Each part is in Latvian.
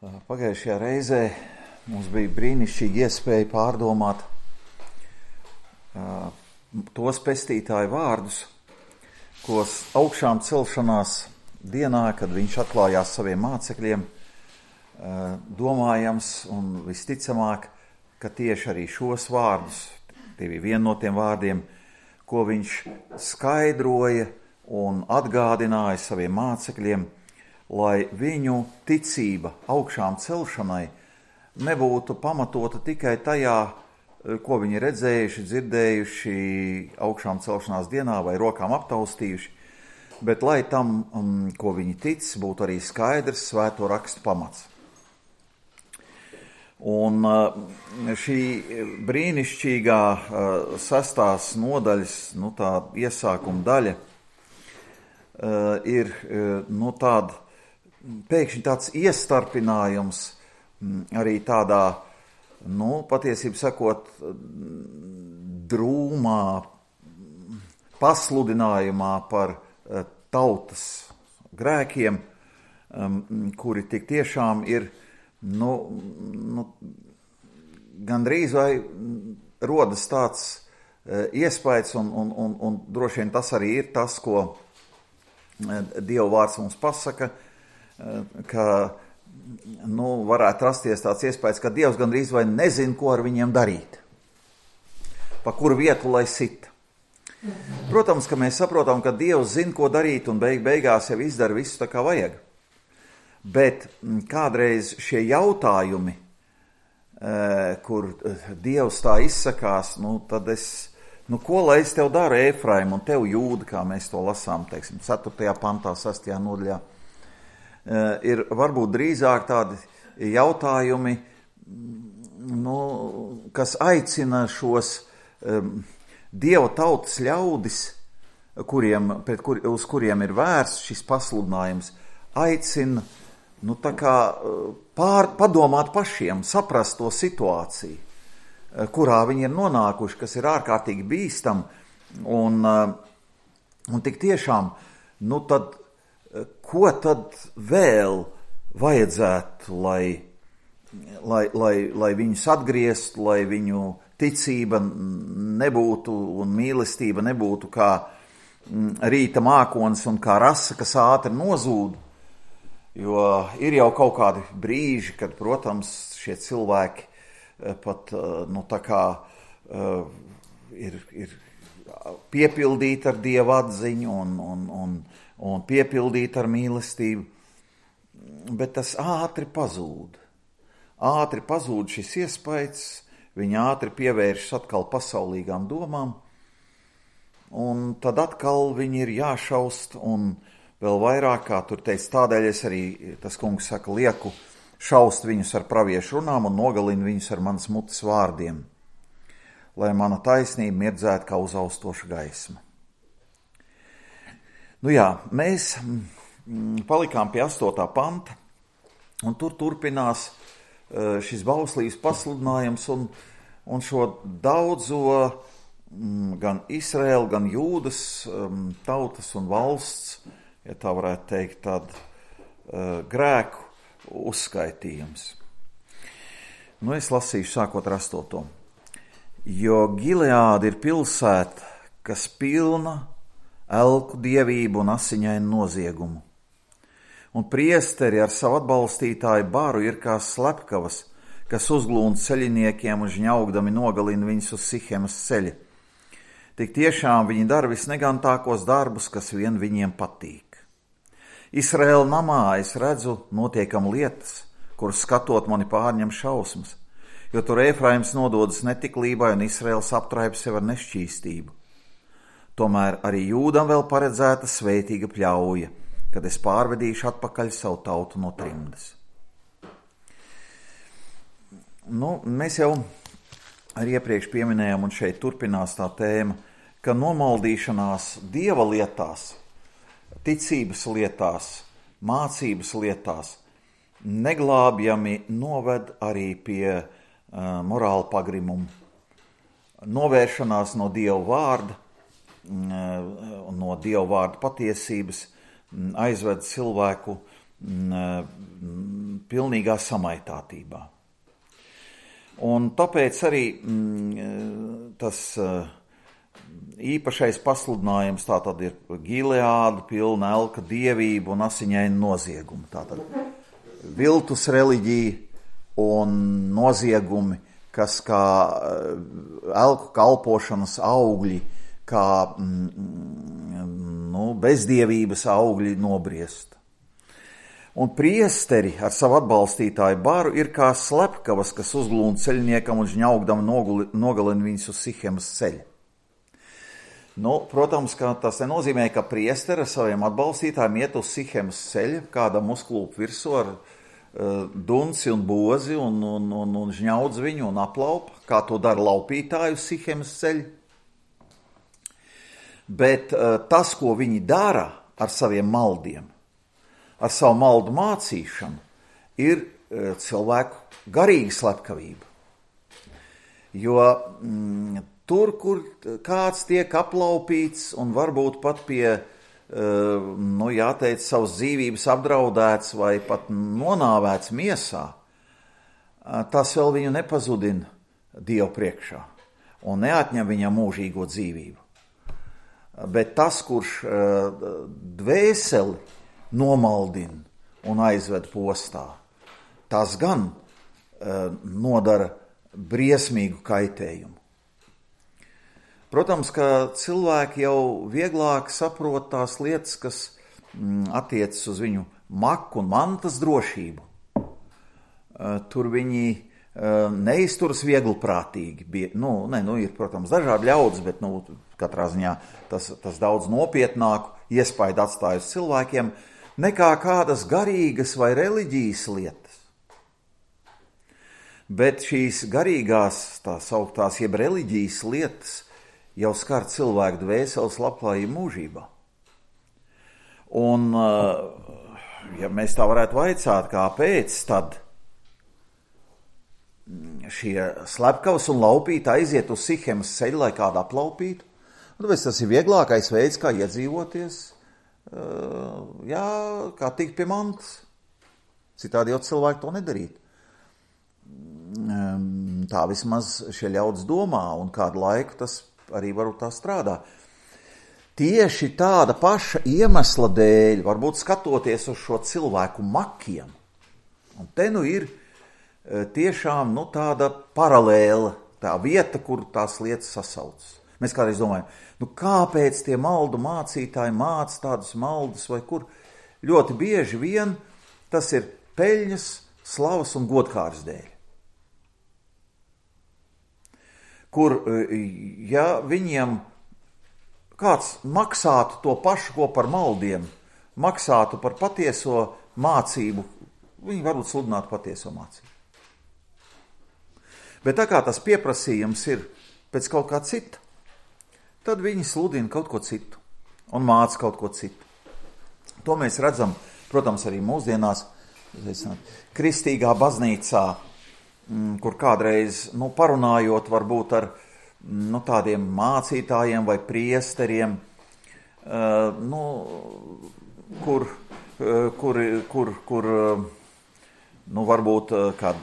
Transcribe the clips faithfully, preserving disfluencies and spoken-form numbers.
Pagājušajā reizē mums bija brīnišķīga iespēja pārdomāt uh, tos pestītāju vārdus, ko augšām celšanās dienā, kad viņš atklājās saviem mācekļiem, uh, domājams un visticamāk, ka tieši arī šos vārdus, tie bija viena no tiem vārdiem, ko viņš skaidroja un atgādināja saviem mācekļiem, lai viņu ticība augšām celšanai nebūtu pamatota tikai tajā, ko viņi redzējuši, dzirdējuši augšām celšanās dienā vai rokām aptaustījuši, bet lai tam, ko viņi tic, būtu arī skaidrs svēto rakstu pamats. Un šī brīnišķīgā sestās nodaļas, nu tā iesākuma daļa, ir nu tāda, pēkšņi tāds iestarpinājums arī tādā, nu, patiesībā sakot, drūmā pasludinājumā par tautas grēkiem, kuri tik tiešām ir, nu, nu gandrīz vai rodas tāds iespējas, un, un, un, un droši vien tas arī ir tas, ko Dieva vārds mums pasaka, ka, nu, varētu rasties tāds iespējas, ka Dievs gandrīz vai nezin, ko ar viņiem darīt, pa kuru vietu lai sit. Protams, ka mēs saprotam, ka Dievs zina, ko darīt, un beig beigās jau izdara visu tā kā vajag. Bet kādreiz šie jautājumi, kur Dievs tā izsakās, nu, tad es, nu, ko lai es tev daru, Efraim, un tev Jūda, kā mēs to lasām, teiksim, ceturtajā pantā, sestajā nodaļā, ir varbūt drīzāk tādi jautājumi, nu, kas aicina šos um, Dieva tautas ļaudis, kuriem, pret kur, uz kuriem ir vērsts šis pasludinājums, aicina, nu, tā kā pār, padomāt pašiem, saprast to situāciju, kurā viņi ir nonākuši, kas ir ārkārtīgi bīstam, un, un tik tiešām, nu tad, ko tad vēl vajadzētu, lai, lai, lai, lai viņus atgriezt, lai viņu ticība nebūtu un mīlestība nebūtu kā rīta mākonis un kā rasa, kas ātri nozūd, jo ir jau kaut kādi brīži, kad, protams, šie cilvēki pat, nu, tā kā uh, ir, ir piepildīti ar Dieva atziņu un, un, un, un piepildīti ar mīlestību, bet tas ātri pazūd. Ātri pazūd šis iespējas, viņi ātri pievēršas atkal pasaulīgām domām, un tad atkal viņi ir jāšaust, un vēl vairāk, kā tur teica, tādēļ es arī, tas kungs saka, lieku šaust viņus ar praviešu runām un nogalinu viņus ar manas mutes vārdiem, lai mana taisnība mirdzētu kā uzaustoša gaisma. Nu jā, mēs palikām pie astotā panta, un tur turpinās šis bauslības pasludinājums, un, un šo daudzo gan Izraēla, gan Jūdas tautas un valsts, ja tā varētu teikt, tādu grēku uzskaitījums. Nu, es lasīšu sākot ar astoto. Jo Gileāda ir pilsēta, kas pilna elku dievību un asiņainu noziegumu. Un priesteri ar savu atbalstītāju baru ir kā slepkavas, kas uzglūnd ceļiniekiem un žņaugdami nogalina viņus uz Sihemas ceļa. Tik tiešām viņi dara visnegantākos darbus, kas vien viņiem patīk. Izraēla namā es redzu notiekam lietas, kuras skatot mani pārņem šausmas, jo tur Efraims nododas netiklībai un Izraēls aptraip sev ar nešķīstību. Tomēr arī Jūdam vēl paredzēta svētīga pļauja, kad es pārvedīšu atpakaļ savu tautu no trimdas. Nu, mēs jau arī iepriekš pieminējām, un šeit turpinās tā tēma, ka nomaldīšanās Dieva lietās, ticības lietās, mācības lietās neglābjami noved arī pie uh, morāla pagrimuma. Novēršanās no Dieva vārda, uh, no Dieva vārda patiesības aizved cilvēku m, pilnīgā samaitātībā. Un tāpēc arī m, tas īpašais pasludinājums tātad ir Gileāda, pilna elka dievība un asiņaina nozieguma. Tātad viltus reliģija un noziegumi, kas kā elku kalpošanas augļi, kā nu, bezdievības augļi nobriest. Un priesteri ar savu atbalstītāju baru ir kā slepkavas, kas uzglūna ceļniekam un žņaugdam nogalina viņus uz Sihemas ceļa. Nu, protams, ka tas nenozīmē, ka priesteri ar saviem atbalstītājiem iet uz Sihemas ceļa, kādam uzklūp virsū ar uh, dunci un bozi un, un, un, un žņaudz viņu un aplaupa, kā to dara laupītāju uz Sihemas ceļa. Bet uh, tas, ko viņi dara ar saviem maldiem, ar savu maldu mācīšanu, ir uh, cilvēku garīga slepkavība. Jo mm, tur, kur kāds tiek aplaupīts un varbūt pat pie, uh, nu jāteic, savas dzīvības apdraudēts vai pat nonāvēts miesā, uh, tas vēl viņu nepazudina Dievu priekšā un neatņem viņam mūžīgo dzīvību. Bet tas, kurš uh, dvēseli nomaldina un aizved postā, tas gan uh, nodara briesmīgu kaitējumu. Protams, ka cilvēki jau vieglāk saprot tās lietas, kas mm, attiecas uz viņu maku un mantas drošību. Uh, tur viņi uh, neizturas vieglprātīgi. Nu, ne, nu, ir, protams, dažādi ļaudis, bet nu, katrā ziņā tas, tas daudz nopietnāku iespaidu atstāj uz cilvēkiem, nekā kādas garīgas vai reliģijas lietas. Bet šīs garīgās, tā sauktās, jeb reliģijas lietas jau skar cilvēku dvēseles labklājību mūžībā. Un, ja mēs tā varētu vaicāt, kāpēc tad šie slepkavas un laupīti aiziet uz Sihemas ceļu, lai kādu aplaupītu, tāpēc tas ir vieglākais veids, kā iedzīvoties, jā, kā tikt pie mantas. Citādi jau cilvēki to nedarītu. Tā vismaz šie ļaudis domā, un kādu laiku tas arī varbūt tā strādā. Tieši tāda paša iemesla dēļ, varbūt skatoties uz šo cilvēku makiem, un te nu ir tiešām nu, tāda paralēla, tā vieta, kur tās lietas sasaucas. Mēs kādreiz domājam, nu kāpēc tie maldu mācītāji māca tādus maldus vai kur? Ļoti bieži vien tas ir peļņas, slavas un godkāras dēļ. Kur, ja viņiem kāds maksātu to pašu, ko par maldiem, maksātu par patieso mācību, viņi varbūt sludinātu patieso mācību. Bet tā kā tas pieprasījums ir pēc kaut kā cita, tad viņi sludina kaut ko citu un māca kaut ko citu. To mēs redzam, protams, arī mūsdienās, kristīgā baznīcā, kur kādreiz, nu, parunājot varbūt ar nu, tādiem mācītājiem vai priesteriem, uh, nu, kur, uh, kur, kur, kur uh, nu, varbūt uh, kad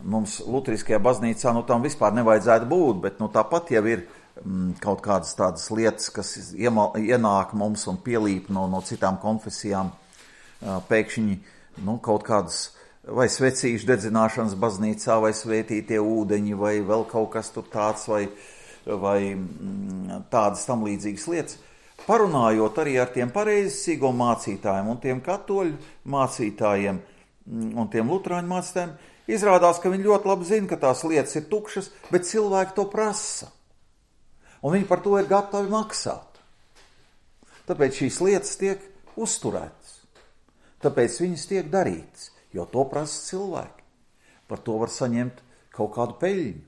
mums luteriskajā baznīcā, nu, tam vispār nevajadzētu būt, bet nu, tāpat jau ir mm, kaut kādas tādas lietas, kas iemal, ienāk mums un pielīp no, no citām konfesijām, uh, pēkšņi, nu, kaut kādas vai svecīšu dedzināšanas baznīcā, vai svētītie ūdeņi, vai vēl kaut kas tur tāds, vai, vai tādas tam līdzīgas lietas. Parunājot arī ar tiem pareizsīgo mācītājiem un tiem katoļu mācītājiem un tiem luterāņu mācītājiem, izrādās, ka viņi ļoti labi zina, ka tās lietas ir tukšas, bet cilvēki to prasa. Un viņi par to ir gatavi maksāt. Tāpēc šīs lietas tiek uzturētas. Tāpēc viņas tiek darītas. Jo to prasa cilvēki. Par to var saņemt kaut kādu peļņu.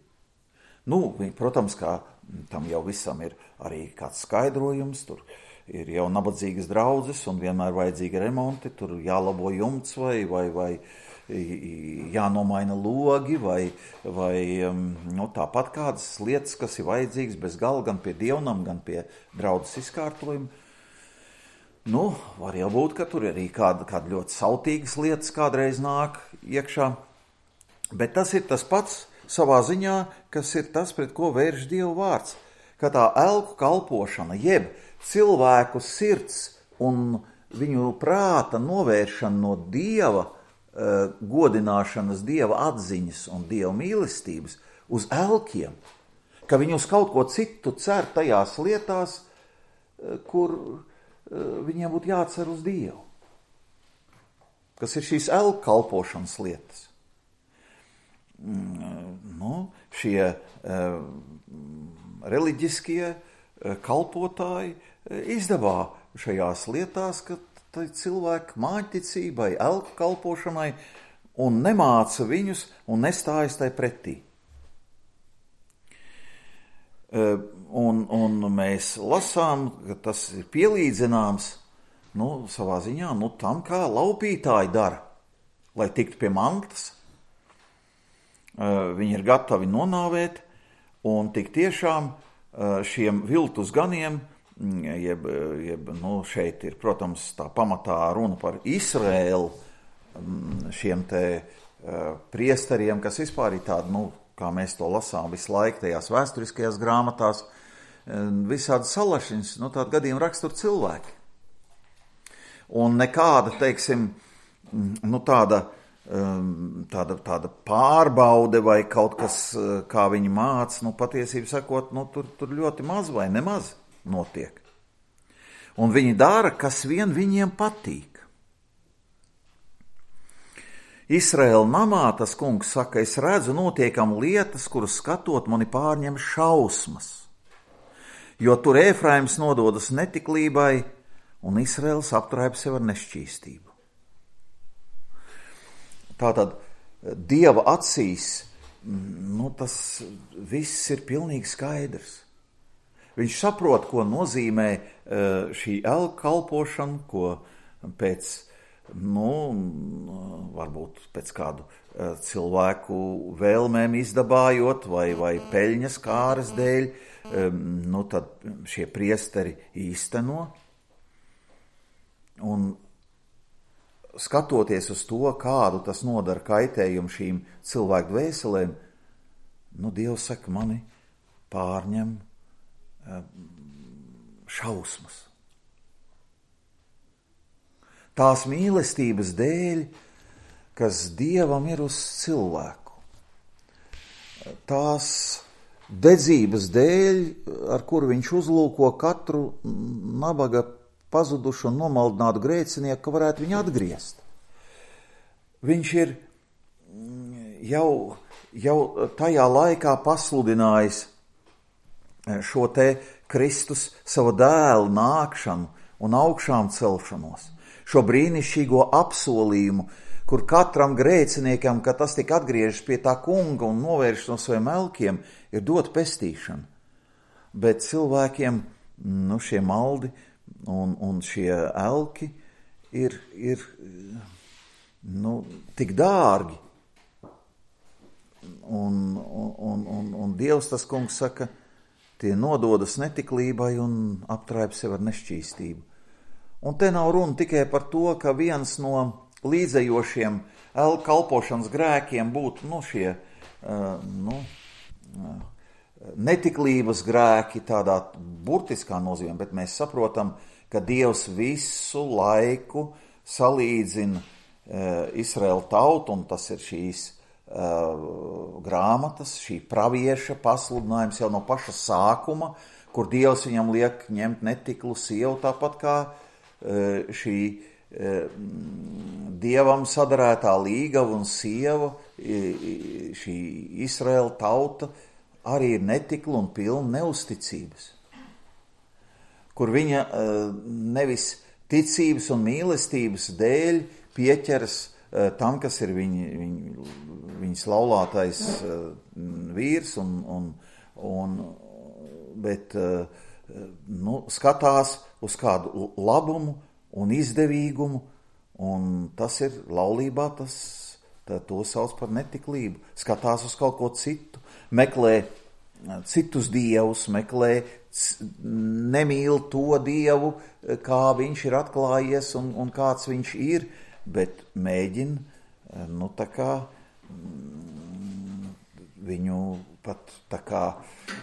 Nu, protams, kā tam jau visam ir arī kāds skaidrojums, tur ir jau nabadzīgas draudzes un vienmēr vajadzīgi remonti, tur jālabo jumts vai, vai, vai jānomaina logi vai, vai nu, tāpat kādas lietas, kas ir vajadzīgas bez gala gan pie dievnam, gan pie draudzes izkārtojuma. Nu, var jau būt, ka tur arī kāda, kāda ļoti sautīgas lietas kādreiz nāk iekšā, bet tas ir tas pats savā ziņā, kas ir tas, pret ko vērš Dieva vārds, ka tā elku kalpošana, jeb cilvēku sirds un viņu prāta novēršana no Dieva uh, godināšanas, Dieva atziņas un Dieva mīlestības uz elkiem, ka viņi uz kaut ko citu cer tajās lietās, uh, kur uh, viņiem būtu jācer uz Dievu. Kas ir šīs elku kalpošanas lietas. Mm, nu, šie uh, reliģiskie uh, kalpotāji uh, izdevā šajās lietās, ka cilvēki māņticībai, elku kalpošanai un nemāca viņus un nestājas tai pretī. Un, un mēs lasām, ka tas ir pielīdzināms, nu, savā ziņā, nu, tam, kā laupītāji dara, lai tiktu pie mantas. Viņi ir gatavi nonāvēt, un tik tiešām šiem viltus ganiem, jeb, jeb nu, šeit ir, protams, tā pamatā runa par Izraēlu, šiem te priesteriem, kas vispār ir tādi, nu, kā mēs to lasām visu laiku tajās vēsturiskajās grāmatās, visādi salašiņas, nu, tādi gadījumi rakstur cilvēki. Un nekāda, teiksim, nu, tāda, tāda, tāda pārbaude vai kaut kas, kā viņi māca, nu, patiesību sakot, nu, tur, tur ļoti maz vai nemaz notiek. Un viņi dara, kas vien viņiem patīk. Izraēla namā tas kungs saka, es redzu notiekam lietas, kuras skatot mani pārņem šausmas, jo tur Efraims nododas netiklībai un Izraēls aptraipa sev ar nešķīstību. Tātad Dieva acīs, nu, tas viss ir pilnīgi skaidrs. Viņš saprot, ko nozīmē šī elku kalpošana, ko pēc, nu, varbūt pēc kādu cilvēku vēlmēm izdabājot vai, vai peļņas kāras dēļ, nu, tad šie priesteri īsteno. Un skatoties uz to, kādu tas nodara kaitējumu šīm cilvēku dvēselēm, nu, Dievs saka, mani pārņem šausmas. Tās mīlestības dēļ, kas Dievam ir uz cilvēku. Tās dedzības dēļ, ar kuru viņš uzlūko katru nabaga pazudušu un nomaldinātu grēcinieku, ka varētu viņu atgriezt. Viņš ir jau, jau tajā laikā pasludinājis šo te Kristus savu dēlu nākšanu un augšām celšanos, šo brīnišķīgo apsolījumu, kur katram grēciniekam, kad tas tik atgriežas pie tā kunga un novērš no saviem elkiem, ir dot pestīšana. Bet cilvēkiem, nu, šie maldi un, un šie elki ir, ir nu, tik dārgi. Un, un, un, un Dievs, tas kungs, saka, tie nododas netiklībai un aptraipa sev ar nešķīstību. Un te nav runa tikai par to, ka viens no līdzējošiem elku kalpošanas grēkiem būtu, nu, šie, uh, nu, uh, netiklības grēki tādā burtiskā nozīmē, bet mēs saprotam, ka Dievs visu laiku salīdzina uh, Izraēlu tautu, un tas ir šīs Uh, grāmatas, šī pravieša pasludinājums jau no paša sākuma, kur Dievs viņam liek ņemt netiklu sievu, tāpat kā uh, šī uh, Dievam sadarētā līgava un sieva, šī Izraēla tauta arī ir netikla un pilna neusticības, kur viņa uh, nevis ticības un mīlestības dēļ pieķeras tam, kas ir viņ, viņ, viņas laulātais uh, vīrs, un, un, un, bet uh, nu, skatās uz kādu labumu un izdevīgumu, un tas ir laulībā, tas, tā, to sauc par netiklību. Skatās uz kaut ko citu, meklē citus dievus, meklē nemīl to Dievu, kā viņš ir atklājies un, un kāds viņš ir, bet mēģina, nu, tā kā viņu pat tā kā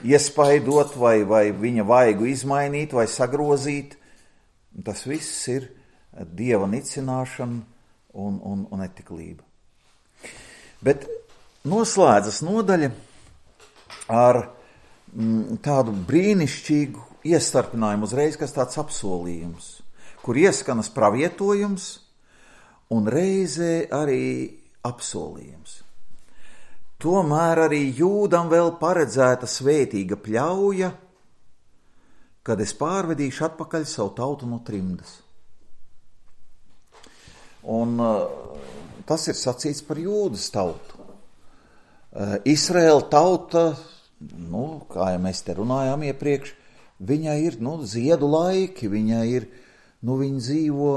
iespaidot vai, vai viņa vaigu izmainīt vai sagrozīt. Tas viss ir Dieva nicināšana un, un, un netiklība. Bet noslēdzas nodaļa ar mm, tādu brīnišķīgu iestarpinājumu uzreiz, kas tāds apsolījums, kur ieskanas pravietojums un reizē arī apsolījums. Tomēr arī Jūdam vēl paredzēta svētīga pļauja, kad es pārvedīšu atpakaļ savu tautu no trimdas. Un uh, tas ir sacīts par Jūdas tautu. Uh, Izraēla tauta, nu, kā jau mēs te runājām iepriekš, viņai ir, nu, ziedu laiki, viņai ir, nu, viņa dzīvo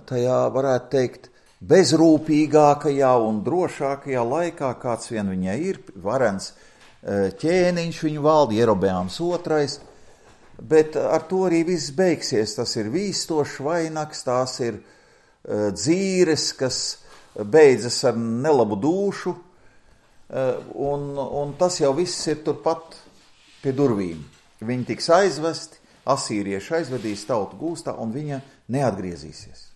tajā, varētu teikt, bezrūpīgākajā un drošākajā laikā, kāds vien viņai ir, varens ķēniņš viņu valda, Jerobeāms otrais, bet ar to arī viss beigsies. Tas ir vīstošs vainags, tās ir dzīres, kas beidzas ar nelabu dūšu, un, un tas jau viss ir turpat pie durvīm. Viņi tiks aizvesti, asīrieši aizvedīs tautu gūstā, un viņa neatgriezīsies.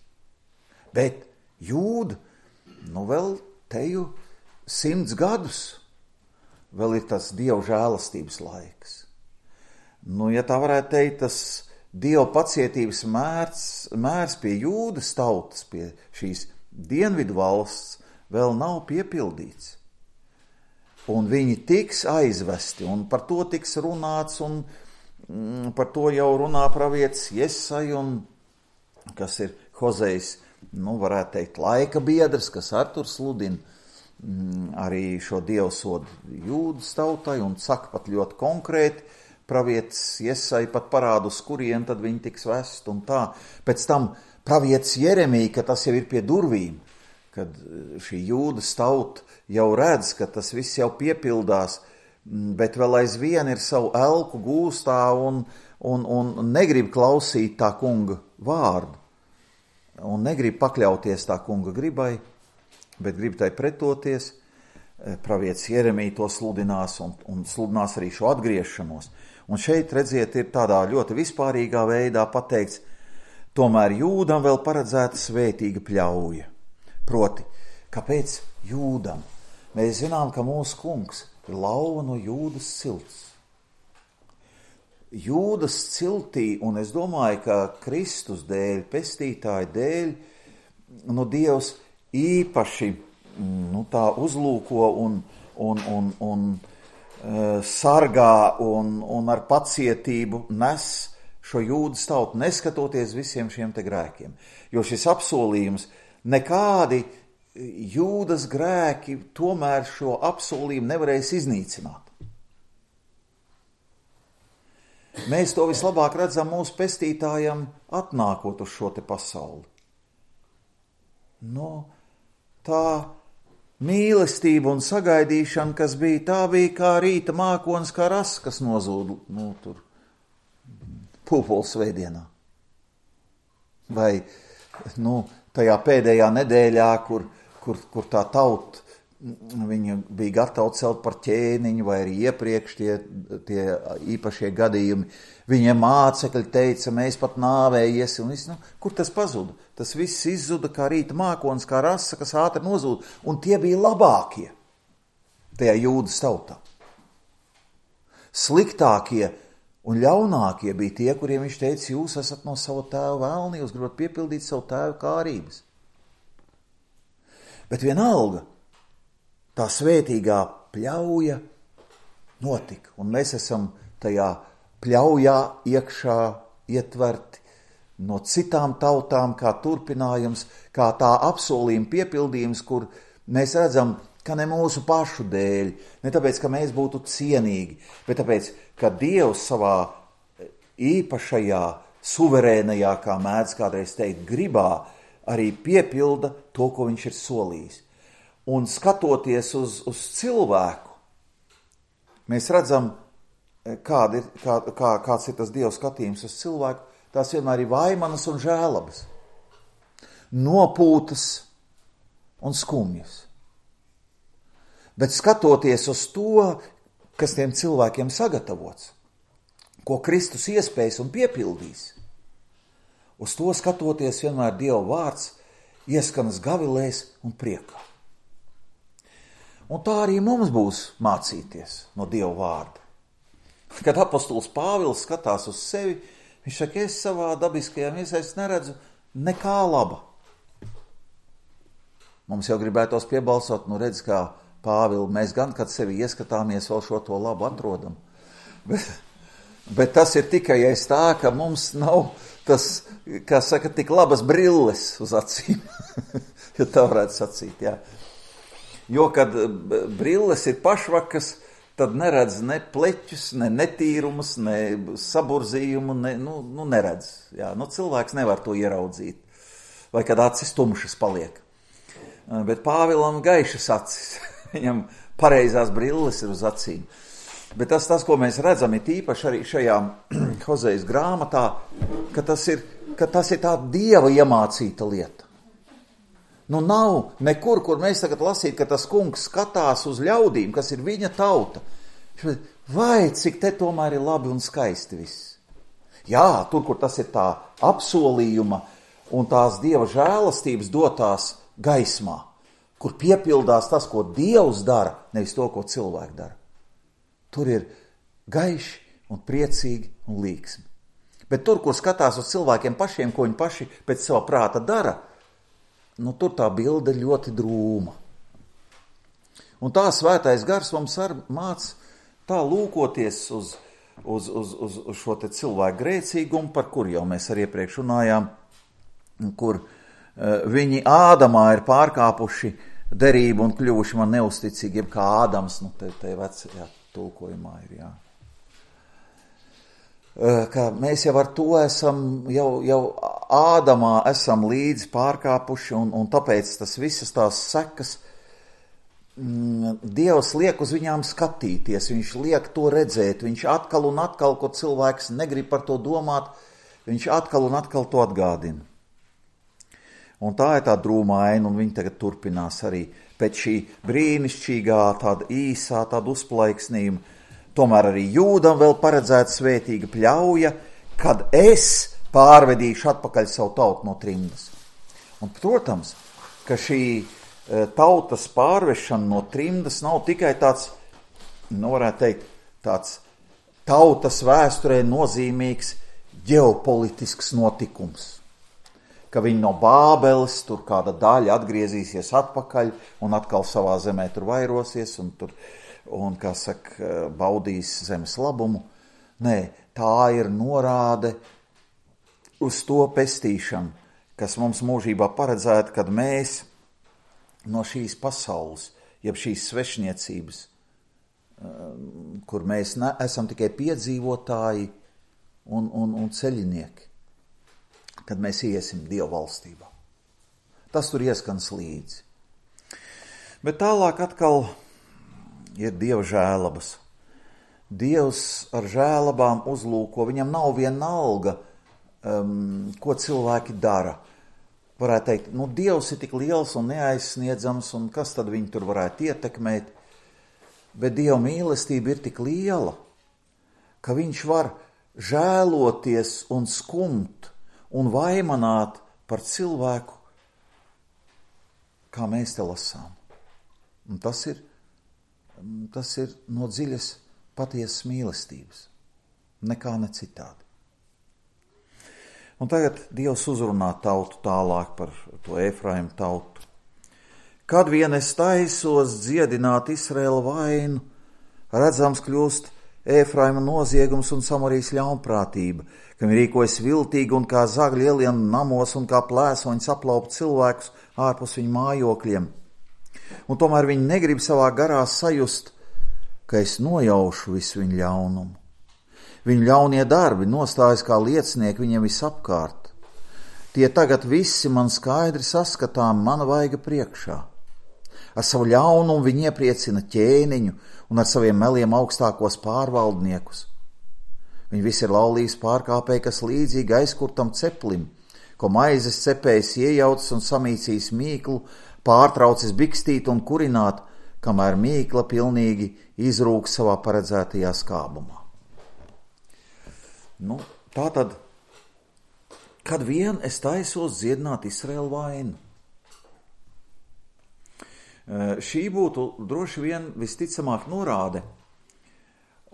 Bet Jūda, nu vēl teju simts gadus, vēl ir tas Dieva žēlastības laiks. Nu, ja tā varētu teikt, tas Dieva pacietības mērs, mērs pie Jūdas tautas, pie šīs dienvidu valsts, vēl nav piepildīts. Un viņi tiks aizvesti, un par to tiks runāts, un mm, par to jau runā pravietis Jesai, un kas ir Hozejs, nu, varētu teikt, laika biedrs, kas ar tur sludina mm, arī šo dievsodu Jūdas tautai un saka pat ļoti konkrēti, pravietis Jesai pat parāda, uz kurien tad viņi tiks vest un tā. Pēc tam pravietis Jeremija, ka tas jau ir pie durvīm, kad šī Jūdas tauta jau redz, ka tas viss jau piepildās, bet vēl aizvien ir savu elku gūstā un, un, un negrib klausīt tā kunga vārdu. Un negrib pakļauties tā kunga gribai, bet grib tai pretoties. Pravietis Jeremija to sludinās un, un sludinās arī šo atgriešanos. Un šeit, redziet, ir tādā ļoti vispārīgā veidā pateikts, tomēr Jūdam vēl paredzēta svētīga pļauja. Proti, kāpēc Jūdam? Mēs zinām, ka mūsu kungs ir lauva no Jūdas cilts. Jūdas ciltī, un es domāju, ka Kristus dēļ, pestītāja dēļ, nu, Dievs īpaši nu, tā uzlūko un, un, un, un e, sargā un, un ar pacietību nes šo Jūdas tautu, neskatoties visiem šiem te grēkiem. Jo šis apsolījums, nekādi Jūdas grēki tomēr šo apsolījumu nevarēs iznīcināt. Mēs to vislabāk redzam mūsu pestītājam atnākot uz šo te pasauli. No, tā mīlestība un sagaidīšana, kas bija, tā bija kā rīta mākonis, kā ras, kas nozūd, nu, tur, pūpoles svētdienā. Vai, nu, tajā pēdējā nedēļā, kur, kur, kur tā tauta, viņa bija gatava celt par ķēniņu, vai arī iepriekš tie, tie īpašie gadījumi. Viņiem mācekļi teica, mēs pat nāvējies, un viss, nu, kur tas pazuda? Tas viss izzuda kā rīta mākonis, kā rasa, kas ātri nozūd, un tie bija labākie tajā Jūdas tautā. Sliktākie un ļaunākie bija tie, kuriem viņš teica, jūs esat no sava tēva vēlni, jūs gribat piepildīt savu tēva kārības. Bet vienalga, tā svētīgā pļauja notika, un mēs esam tajā pļaujā iekšā ietverti no citām tautām, kā turpinājums, kā tā apsolījuma piepildījums, kur mēs redzam, ka ne mūsu pašu dēļ, ne tāpēc, ka mēs būtu cienīgi, bet tāpēc, ka Dievs savā īpašajā, suverēnajā, kā mēdz kādreiz teikt, gribā, arī piepilda to, ko viņš ir solījis. Un skatoties uz, uz cilvēku, mēs redzam kāda ir, kā, kā, kāds ir tas Dieva skatījums uz cilvēku, tās vienmēr ir vaimanas un žēlabas, nopūtas un skumjas. Bet skatoties uz to, kas tiem cilvēkiem sagatavots, ko Kristus iespējas un piepildīs, uz to skatoties vienmēr Dieva vārds ieskanas gavilēs un priekā. Un tā arī mums būs mācīties no Dieva vārda. Kad apostols Pāvils skatās uz sevi, viņš saka, es savā dabiskajā miesā neredzu nekā laba. Mums jau gribētos piebalsot, nu redz, kā Pāvili, mēs gan, kad sevi ieskatāmies, vēl šo to labu atrodam. Bet, bet tas ir tikai aiz tā, ka mums nav tas, kā saka, tik labas brilles uz acīm, ja tā varētu sacīt, jā. Jo, kad brilles ir pašvakas, tad neredz ne pleķus, ne netīrumus, ne saburzījumu, ne, nu, nu neredz. Jā, nu cilvēks nevar to ieraudzīt. Vai kad acis tumšas paliek. Bet Pāvilam gaišas acis. Viņam pareizās brilles ir uz acīm. Bet tas, tas ko mēs redzam, ir tīpaši arī šajā Hozejas grāmatā, ka tas ir, ka tas ir tā Dieva iemācīta lieta. Nu nav nekur, kur mēs tagad lasīt, ka tas kungs skatās uz ļaudīm, kas ir viņa tauta. Vai, cik te tomēr ir labi un skaisti viss. Jā, tur, kur tas ir tā apsolījuma un tās Dieva žēlastības dotās gaismā, kur piepildās tas, ko Dievs dara, nevis to, ko cilvēki dara. Tur ir gaiši un priecīgi un līksmi. Bet tur, kur skatās uz cilvēkiem pašiem, ko viņi paši pēc sava prāta dara, nu, tur tā bilde ļoti drūma. Un tā svētais gars mums ar māc tā lūkoties uz, uz, uz, uz, uz šo te cilvēku grēcīgumu, par kur jau mēs arī iepriekš runājām, kur uh, viņi Ādamā ir pārkāpuši derību un kļuvuši man neusticīgi, jeb kā Ādams, nu, te, te vecajā tulkojumā ir, jā. Ka mēs jau ar to esam, jau, jau Ādamā esam līdzi pārkāpuši, un, un tāpēc tas visas tās sekas, mm, Dievs liek uz viņām skatīties, viņš liek to redzēt, viņš atkal un atkal, ko cilvēks negrib par to domāt, viņš atkal un atkal to atgādina. Un tā ir tā drūmā aina, un viņi tagad turpinās arī pēc šī brīnišķīgā, tāda īsā, tāda uzplaiksnījuma. Tomēr arī Jūdam vēl paredzēta svētīga pļauja, kad es pārvedīšu atpakaļ savu tautu no trimdas. Un, protams, ka šī tautas pārvešana no trimdas nav tikai tāds, nu varētu teikt, tāds tautas vēsturē nozīmīgs ģeopolitisks notikums. Ka viņi no Bābeles, tur kāda daļa atgriezīsies atpakaļ un atkal savā zemē tur vairosies un tur un, kā saka, baudīs zemes labumu. Nē, tā ir norāde uz to pestīšanu, kas mums mūžībā paredzēta, kad mēs no šīs pasaules, jeb šīs svešniecības, kur mēs ne, esam tikai piedzīvotāji un, un, un ceļinieki, kad mēs iesim Dieva valstībā. Tas tur ieskans līdzi. Bet tālāk atkal ir Dieva žēlabas. Dievs ar žēlabām uzlūko, viņam nav vienalga, um, ko cilvēki dara. Varētu teikt, nu Dievs ir tik liels un neaizsniedzams, un kas tad viņu tur varētu ietekmēt? Bet Dieva mīlestība ir tik liela, ka viņš var žēloties un skumt un vaimanāt par cilvēku, kā mēs te lasām. Un tas ir Tas ir no dziļas patiesas mīlestības, nekā ne citādi. Un tagad Dievs uzrunā tautu tālāk par to Efraimu tautu. Kad vien es taisos dziedināt Izraēla vainu, redzams kļūst Efraima noziegums un Samarijas ļaunprātība, kam rīkojas viltīgi un kā zagļi ielien namos un kā plēsoņi saplaup cilvēkus ārpus viņu mājokļiem. Un tomēr viņi negrib savā garā sajust, ka es nojaušu visu viņu ļaunumu. Viņu ļaunie darbi nostājas kā liecinieki viņiem visapkārt. Tie tagad visi man skaidri saskatām mana vaiga priekšā. Ar savu ļaunumu viņi iepriecina ķēniņu un ar saviem meliem augstākos pārvaldniekus. Viņi visi ir laulības pārkāpēji, kas līdzīgi aizkurtam ceplim, ko maizes cepējs iejaucis un samīcījis mīklu, pārtraucis bikstīt un kurināt, kamēr mīkla pilnīgi izrūk savā paredzētajā skābumā. Nu, tātad, kad vien es taisos dziedināt Izraēlu vainu. Šī būtu droši vien visticamāk norāde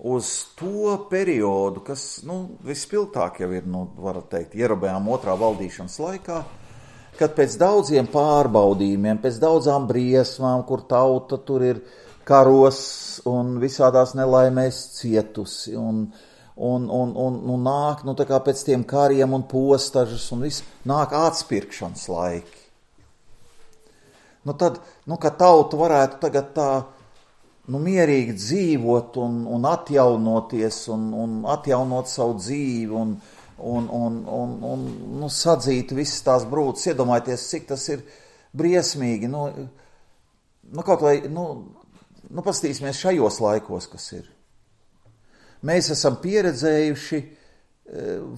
uz to periodu, kas, nu, vispilgtāk jau ir, nu, varat teikt, Jerobejām otrā valdīšanas laikā, kad pēc daudziem pārbaudījumiem, pēc daudzām briesmām, kur tauta tur ir karos un visādās nelaimēs cietusi, un, un, un, un, un nāk, nu, tā kā pēc tiem kariem un postažas, un viss, nāk atspirkšanas laiki. Nu, tad, nu, ka tauta varētu tagad tā, nu, mierīgi dzīvot un, un atjaunoties un, un atjaunot savu dzīvi un, un, un, un, un nu, sadzīt visas tās brūces, iedomājieties, cik tas ir briesmīgi. Nu, nu kaut vai, nu, nu pastīsimies šajos laikos, kas ir. Mēs esam pieredzējuši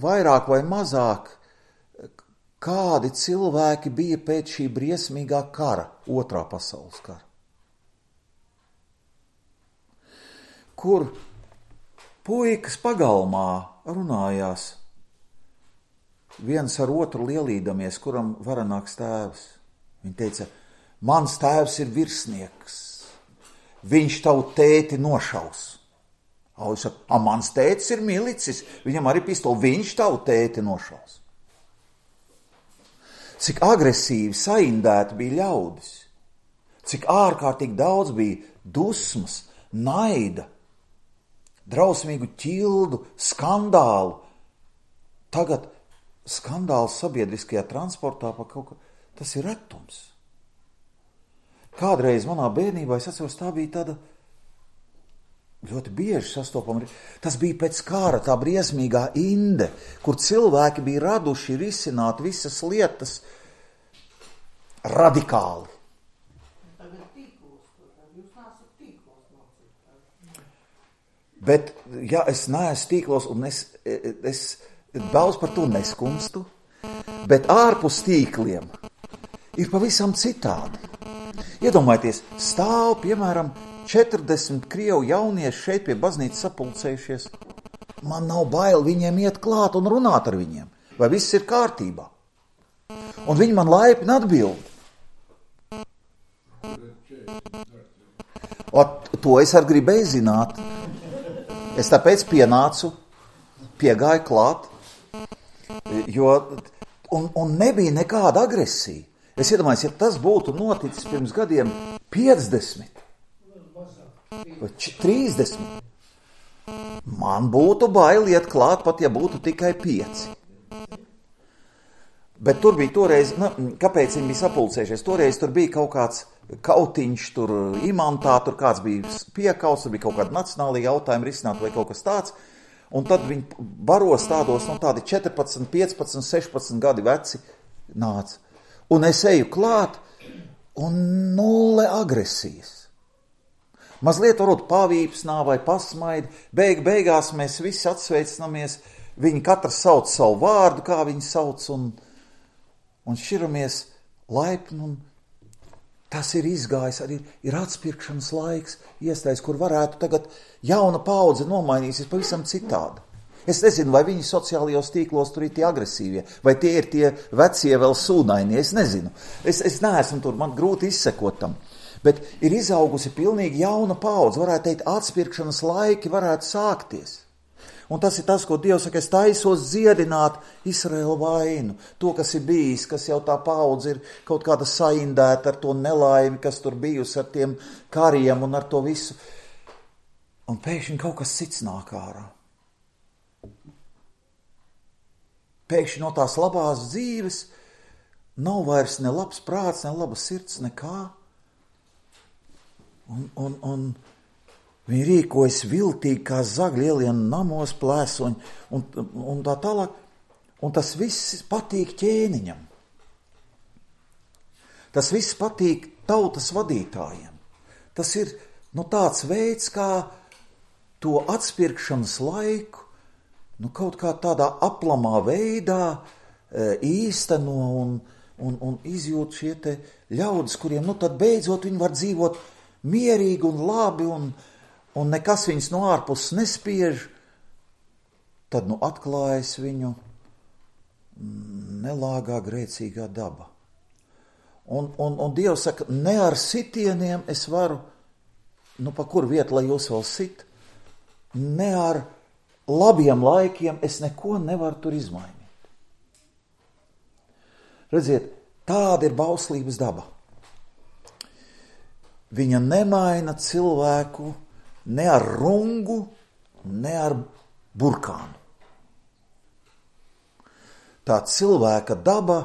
vairāk vai mazāk, kādi cilvēki bija pēc šī briesmīgā kara, otrā pasaules kara. Kur puikas pagalmā runājās, viens ar otru lielīdamies, kuram varenāks tēvs. Viņi teica, mans tēvs ir virsnieks, viņš tavu tēti nošaus. Viņš saka, a, mans tētis ir milicis, viņam arī pistoli, viņš tavu tēti nošaus. Cik agresīvi, saindēti bija ļaudis, cik ārkārtīgi daudz bija dusmas, naida, drausmīgu ķildu, skandālu. Tagad skandāls sabiedriskajā transportā par kaut ko, tas ir retums. Kādreiz manā bērnībā, es atceros, tā bija tāda ļoti bieži sastopama. Tas bija pēc kara tā briesmīgā inde, kur cilvēki bija raduši risināt visas lietas radikāli. Bet, ja es neesmu tīklos, un es, es daudz par to neskumstu, bet ārpus tīkliem ir pavisam citādi. Iedomājieties, stāv, piemēram, četrdesmit krievu jaunieši šeit pie baznīcas sapulcējušies. Man nav bail viņiem iet klāt un runāt ar viņiem, vai viss ir kārtībā. Un viņi man laipni atbild. O, to es arī gribēju zināt. Es tāpēc pienācu, piegāju klāt, jo, un, un nebija nekāda agresija. Es iedomājos, ja tas būtu noticis pirms gadiem piecdesmit, vai trīsdesmit, man būtu bail iet klāt, pat ja būtu tikai pieci. Bet tur bija toreiz, nu, kāpēc viņi bija sapulcējušies? Toreiz tur bija kaut kāds kautiņš, tur imantā, tur kāds bija piekauts, tur bija kaut kāda nacionāla jautājuma risināt vai kaut kas tāds. Un tad viņi baros tādos, nu, tādi četrpadsmit, piecpadsmit, sešpadsmit gadi veci nāca. Un es eju klāt, un nulle agresijas. Mazliet varbūt pavīpsnā vai pasmaidi, beig, beigās mēs visi atsveicinamies, viņi katrs sauc savu vārdu, kā viņi sauc, un, un šķiramies laipni, un tas ir izgājis, arī ir atspirkšanas laiks, iestājas, kur varētu tagad jauna paudze nomainīsies pavisam citādi. Es nezinu, vai viņi sociālajos tīklos tur ir tie agresīvie, vai tie ir tie vecie vēl sūnainie, es nezinu. Es, es neesmu tur, man grūti izsekot tam. Bet ir izaugusi pilnīgi jauna paudze, varētu teikt, atspirkšanas laiki varētu sākties. Un tas ir tas, ko Dievs saka, es taisos dziedināt Izraēlu vainu. To, kas ir bijis, kas jau tā paudze ir kaut kāda saindēta ar to nelaimi, kas tur bijusi ar tiem kariem un ar to visu. Un pēkšņi kaut kas cits nāk ārā. Pēkšņi no tās labās dzīves nav vairs ne labs prāts, ne laba sirds, nekā. Un, un, un viņi rīkojas viltīgi, kā zagļi ielien namos plēsoņi, un, un tā tālāk. Un tas viss patīk ķēniņam. Tas viss patīk tautas vadītājiem. Tas ir, nu, tāds veids, kā to atspirkšanas laiku nu, kaut kā tādā aplamā veidā īsteno un, un, un izjūt šie te ļaudis, kuriem nu tad beidzot viņi var dzīvot mierīgi un labi un, un nekas viņus no ārpuses nespiež, tad nu atklājas viņu nelāgā grēcīgā daba. Un, un, un Dievs saka, ne ar sitieniem es varu, nu pa kur vietu, lai jūs vēl sit, ne ar labiem laikiem es neko nevaru tur izmainīt. Redziet, tāda ir bauslības daba. Viņa nemaina cilvēku ne ar rungu, ne ar burkānu. Tā cilvēka daba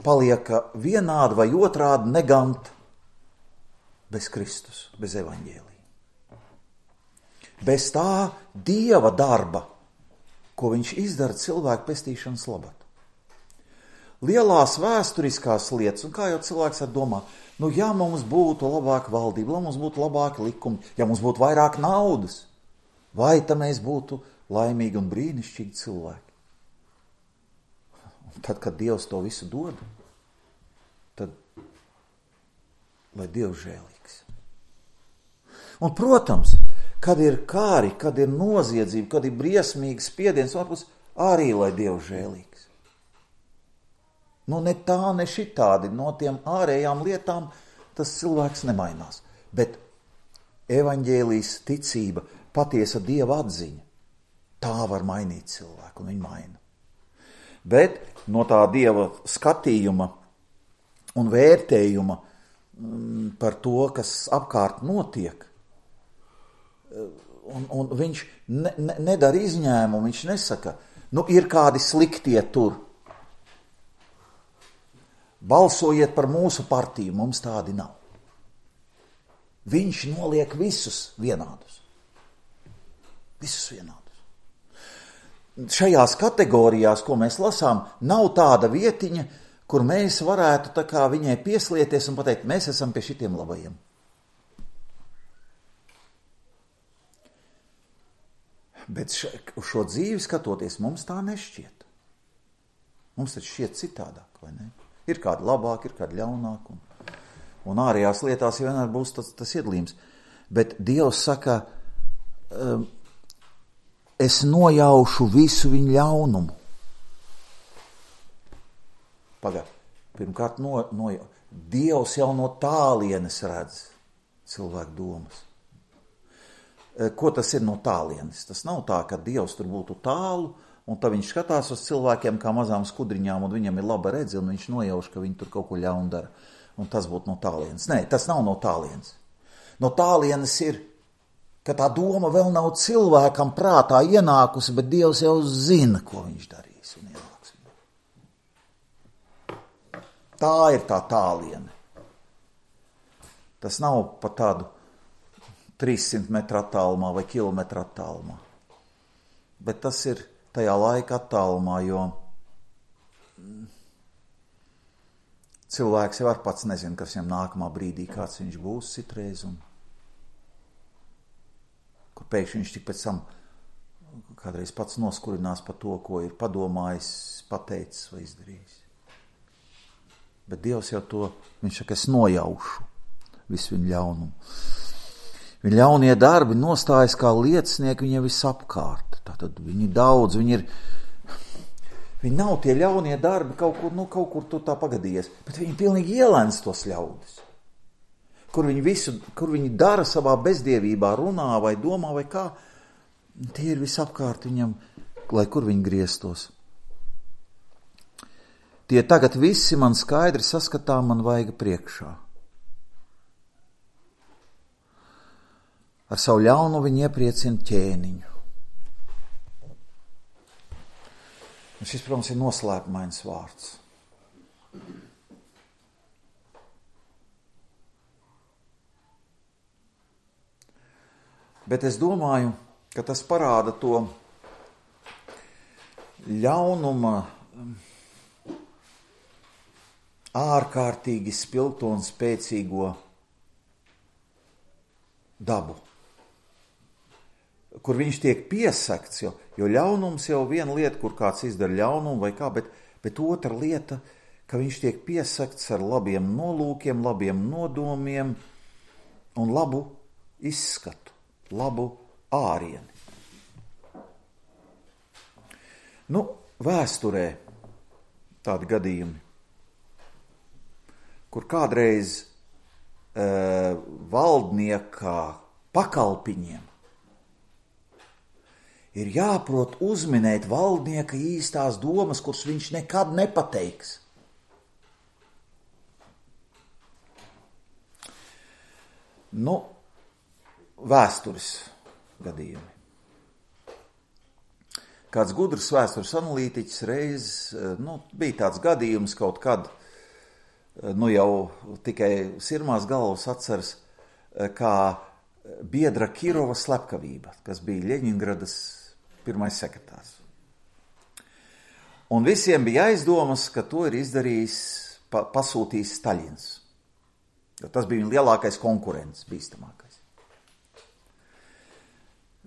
palieka vienādi vai otrādi negant bez Kristus, bez evaņģēlija. Bez tā Dieva darba, ko viņš izdara cilvēku pestīšanas labad. Lielās vēsturiskās lietas, un kā jau cilvēks var domāt, nu ja mums būtu labāka valdība, ja mums būtu labāki likumi, ja mums būtu vairāk naudas, vai tad mēs būtu laimīgi un brīnišķīgi cilvēki. Un tad, kad Dievs to visu dod, tad lai Dievs žēlīgs. Un, protams, kad ir kāri, kad ir noziedzība, kad ir briesmīgs spiediens, varbūt arī lai Dievs žēlīgs. Nu, ne tā, ne šitādi, no tiem ārējām lietām tas cilvēks nemainās. Bet evaņģēlijas ticība, patiesa Dieva atziņa, tā var mainīt cilvēku, un viņa maina. Bet no tā Dieva skatījuma un vērtējuma par to, kas apkārt notiek, un, un viņš ne, ne, nedara izņēmumu, viņš nesaka, nu ir kādi sliktie tur. Balsojiet par mūsu partiju, mums tādi nav. Viņš noliek visus vienādus. Visus vienādus. Šajās kategorijās, ko mēs lasām, nav tāda vietiņa, kur mēs varētu tā kā viņai pieslieties un pateikt, mēs esam pie šitiem labajiem. Bet š, uz šo dzīvi skatoties, mums tā nešķiet. Mums taču šķiet citādāk, vai ne? Ir kādi labāki, ir kādi ļaunāki, un, un ārējās lietās vienmēr būs tas, tas iedalījums. Bet Dievs saka, um, es nojaušu visu viņu ļaunumu. Pagad, pirmkārt, no, no, Dievs jau no tālienes redz cilvēku domas. Ko tas ir no tālienes? Tas nav tā, ka Dievs tur būtu tālu, un tad viņš skatās uz cilvēkiem kā mazām skudriņām, un viņam ir laba redze, un viņš nojauš, ka viņi tur kaut ko ļaunu dara. Un tas būtu no tālienes. Nē, tas nav no tālienes. No tālienes ir, ka tā doma vēl nav cilvēkam prātā ienākusi, bet Dievs jau zina, ko viņš darīs un ienāks. Tā ir tā tāliene. Tas nav pa tādu trīssimt metru attālumā vai kilometru attālumā. Bet tas ir tajā laika attālumā, jo cilvēks jau ar pats nezina, kas viņam nākamā brīdī, kāds viņš būs citreiz, un kur pēkšņi viņš tik pēc tam kādreiz pats noskurinās par to, ko ir padomājis, pateicis vai izdarījis. Bet Dievs jau to, viņš saka, es nojaušu visu viņu ļaunumu. Viņa ļaunie darbi nostājas kā liecinieki viņiem visapkārt. Tātad viņi daudz, viņi ir, viņi nav tie ļaunie darbi kaut kur, nu kaut kur tu tā pagadījies, bet viņi pilnīgi ielēns tos ļaudis. Kur viņi visu, kur viņi dara savā bezdievībā, runā vai domā vai kā, tie ir visapkārt viņam, lai kur viņi grieztos. Tie tagad visi man skaidri saskatām man vaiga priekšā. Ar savu ļaunu viņi iepriecina ķēniņu. Un šis, protams, ir noslēpumains vārds. Bet es domāju, ka tas parāda to ļaunuma ārkārtīgi spilgto un spēcīgo dabu, kur viņš tiek piesakts, jo, jo ļaunums jau viena lieta, kur kāds izdara ļaunumu vai kā, bet, bet otra lieta, ka viņš tiek piesakts ar labiem nolūkiem, labiem nodomiem un labu izskatu, labu ārieni. Nu, vēsturē tādi gadījumi, kur kādreiz e, valdnieka pakalpiņiem ir jāprot uzminēt valdnieka īstās domas, kuras viņš nekad nepateiks. Nu, vēstures gadījumi. Kāds gudrs vēstures analītiķis reiz, nu, bija tāds gadījums kaut kad, nu jau tikai sirmās galvas atceras, kā biedra Kirova slepkavība, kas bija Ļeņingradas pirmais sekretārs. Un visiem bija aizdomas, ka to ir izdarījis, pa, pasūtījis Staļins. Jo tas bija viņa lielākais konkurents, bīstamākais.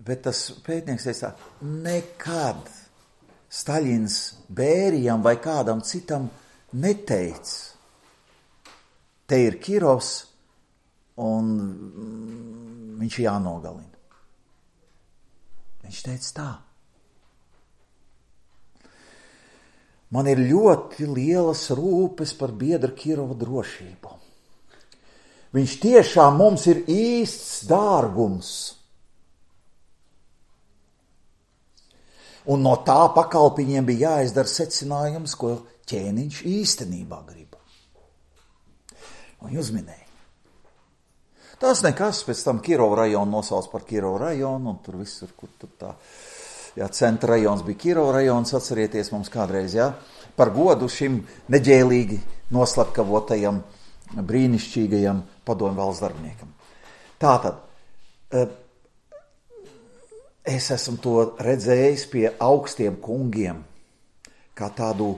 Bet tas pētnieks teica, nekad Staļins Bērijam vai kādam citam neteica, te ir Kirovs un viņš jānogalina. Viņš teica tā. Man ir ļoti lielas rūpes par biedra Kirova drošību. Viņš tiešām mums ir īsts dārgums. Un no tā pakalpiņiem bija jāizdara secinājums, ko ķēniņš īstenībā grib. Un uzminēja. Tas nekas, pēc tam Kirova rajonu nosauc par Kirova rajonu, un tur visur, kur tur tā, jā, centra rajons bija Kirova rajons, atcerieties mums kādreiz, jā, par godu šim neģēlīgi noslepkavotajam, brīnišķīgajam padomju valsts darbiniekam. Tātad, es esmu to redzējis pie augstiem kungiem, kā tādu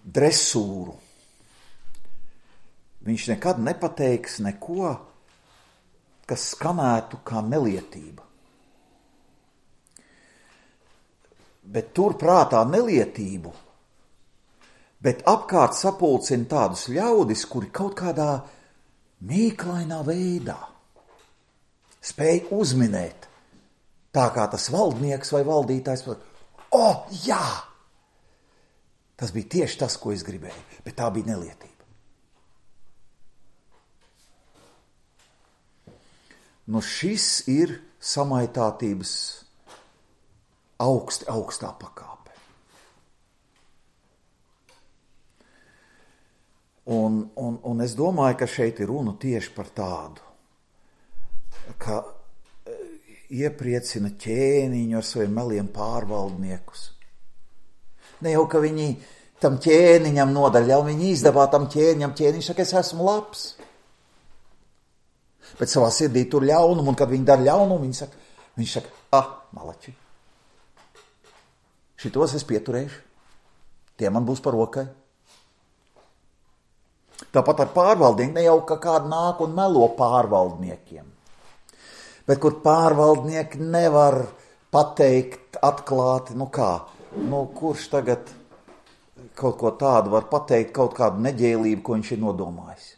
dresūru. Viņš nekad nepateiks neko, kas skanētu kā nelietība. Bet tur prātā nelietību, bet apkārt sapulcina tādus ļaudis, kuri kaut kādā mīklainā veidā spēj uzminēt, tā kā tas valdnieks vai valdītājs, o, oh, jā! Tas bija tieši tas, ko es gribēju, bet tā bija nelietība. Nu šis ir samaitātības augsti, augstā pakāpe. Un, un, un es domāju, ka šeit ir runa tieši par tādu, ka iepriecina ķēniņu ar saviem meliem pārvaldniekus. Ne jau, ka viņi tam ķēniņam nodaļā, viņi izdevā tam ķēniņam, ķēniņš saka, es esmu labs. Bet savā sirdī tur ļaunumu, un kad viņi dara ļaunumu, viņi saka, viņš saka, ah, malači, šitos es pieturēšu, tie man būs par rokai. Tāpat ar pārvaldnieku, ne jau ka kāda nāk un melo pārvaldniekiem, bet kur pārvaldnieki nevar pateikt atklāti, nu kā, nu kurš tagad kaut ko tādu var pateikt, kaut kādu neģēlību, ko viņš ir nodomājis.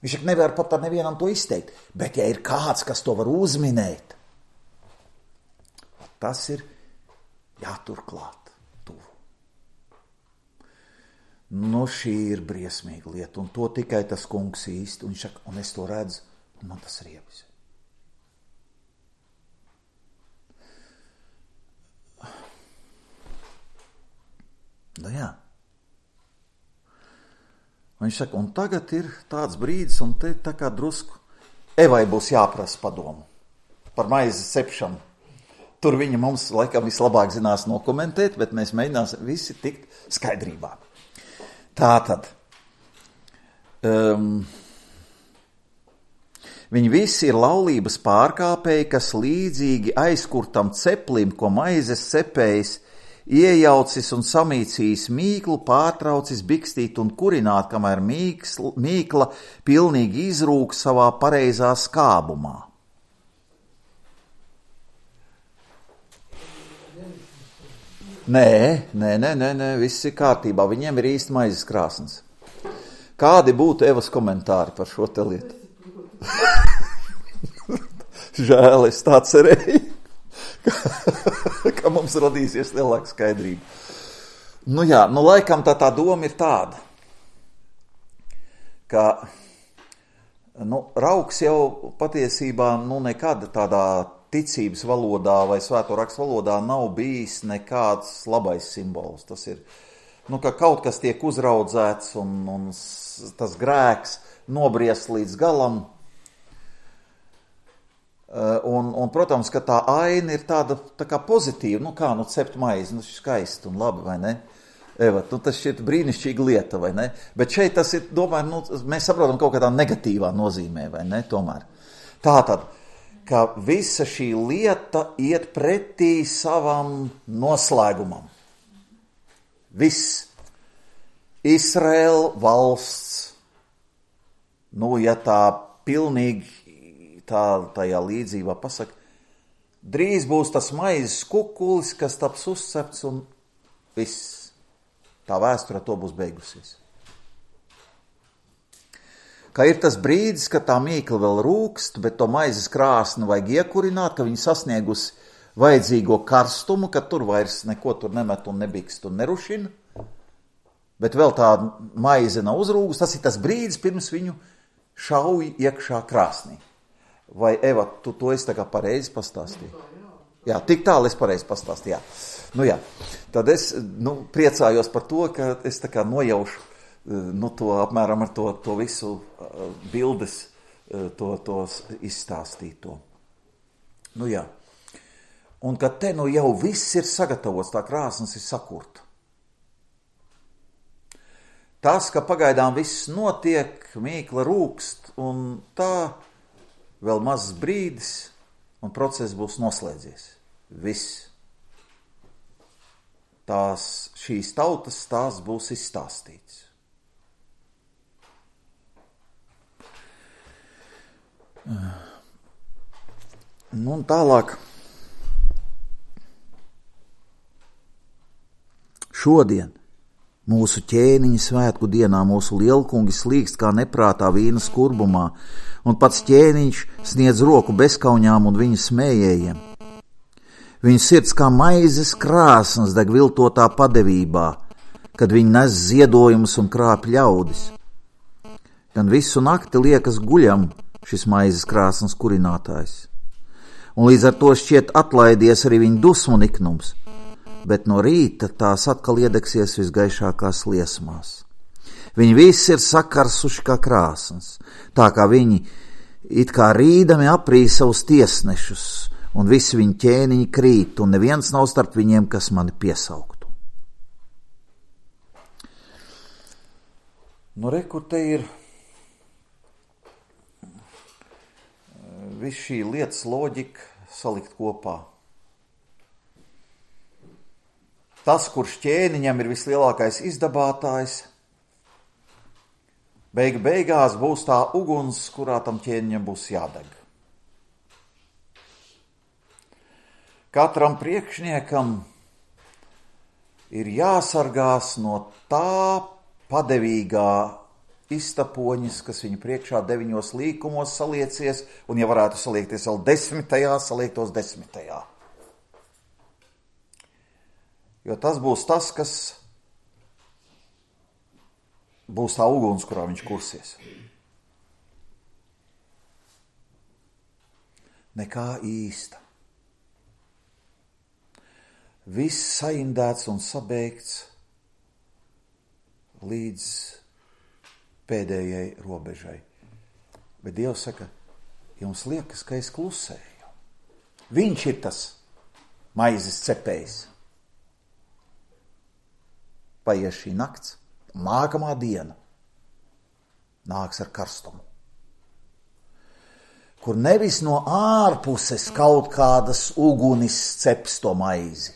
Viņš nevar pat ar nevienam to izteikt, bet ja ir kāds, kas to var uzminēt, tas ir jāturklāt tuvu. Nu, šī ir briesmīga lieta, un to tikai tas kungs īsti, un, šak, un es to redzu, un man tas riebis. Nu jā. Viņš saka, un tagad ir tāds brīdis, un te tā kā drusku Evai būs jāprasa padomu par maizes cepšanu. Tur viņa mums laikam vislabāk zinās nokomentēt, bet mēs mēģināsim visi tikt skaidrībā. Tātad, um, viņi visi ir laulības pārkāpēji, kas līdzīgi aizkurtam ceplim, ko maizes cepējs iejaucis un samīcījis mīklu, pārtraucis bikstīt un kurināt, kamēr mīksl, mīkla pilnīgi izrūk savā pareizā skābumā. Nē, nē, nē, nē, nē, viss ir kārtībā. Viņiem ir īsti maizes krāsnes. Kādi būtu Evas komentāri par šo te lietu? Žēl, es tā cerēju, ka, ka mums radīsies lielāka skaidrība. Nu jā, nu laikam tā tā doma ir tāda, ka nu, rauks jau patiesībā nu, nekad tādā ticības valodā vai svēto rakstu valodā nav bijis nekāds labais simbols. Tas ir, nu, ka kaut kas tiek uzraudzēts un, un tas grēks nobriest līdz galam. Un, un, protams, ka tā aina ir tāda tā kā pozitīva, nu kā, nu cept maizi, nu skaisti un labi, vai ne? Eva, nu tas šķiet brīnišķīga lieta, vai ne? Bet šeit tas ir, domāju, nu, mēs saprotam kaut kādā negatīvā nozīmē, vai ne, tomēr. Tātad, ka visa šī lieta iet pretī savam noslēgumam. Viss. Izraēla valsts, nu, ja tā pilnīgi tā tajā līdzībā pasaka, drīz būs tas maizes kukulis, kas taps uzcepts un viss. Tā vēsture to būs beigusies. Ka ir tas brīdis, ka tā mīkla vēl rūkst, bet to maizes krāsni vajag iekurināt, ka viņi sasniegusi vajadzīgo karstumu, ka tur vairs neko tur nemet un nebikst un nerušina, bet vēl tā maize nav uzrūgus, tas ir tas brīdis, pirms viņu šauj iekšā krāsnī. Vai, Eva, tu to esi tā kā pareizi pastāstīji? Jā, tik tālu es pareizi pastāstīju, jā. Nu jā, tad es nu, priecājos par to, ka es tā kā nojaušu nu, to apmēram ar to, to visu bildes, to, to izstāstīto. Nu jā, un ka te nu jau viss ir sagatavots, tā krāsnes ir sakurta. Tas, ka pagaidām viss notiek, mīkla rūkst un tā, vēl mazs brīdis, un process būs noslēdzies. Viss. Tās, šīs tautas tās būs izstāstīts. Nu, un tālāk. Šodien, mūsu ķēniņa svētku dienā, mūsu lielkungi slīkst kā neprātā vīna skurbumā, un pats ķēniņš sniedz roku bezkaunjām un viņu smējējiem. Viņu sirds kā maizes krāsnes deg viltotā padevībā, kad viņi nes ziedojumus un krāp ļaudis. Gan visu nakti liekas guļam šis maizes krāsnes kurinātājs. Un līdz ar to šķiet atlaidies arī viņa dusmu niknums, bet no rīta tās atkal iedegsies visgaišākās liesmās. Viņi visi ir sakarsuši kā krāsnes, tā kā viņi it kā rīdami aprīja savus tiesnešus, un visi viņi ķēniņi krīt, un neviens nav starp viņiem, kas mani piesauktu. Nu, re, kur te ir viss šī lietas loģika salikt kopā. Tas, kurš ķēniņam ir vislielākais izdabātājs, beigu beigās būs tā uguns, kurā tam ķēniņam būs jādeg. Katram priekšniekam ir jāsargās no tā padevīgā iztapoņas, kas viņu priekšā deviņos līkumos saliecies, un ja varētu saliekties vēl desmitajā, saliektos desmitajā. Jo tas būs tas, kas būs tā uguns, kurā viņš kursies. Nekā īsta. Viss saindēts un sabeigts līdz pēdējai robežai. Bet Dievs saka, jums liekas, ka es klusēju. Viņš ir tas maizes cepējs. Paies šī nakts, nākamā diena nāks ar karstumu, kur nevis no ārpuses kaut kādas ugunis ceps to maizi,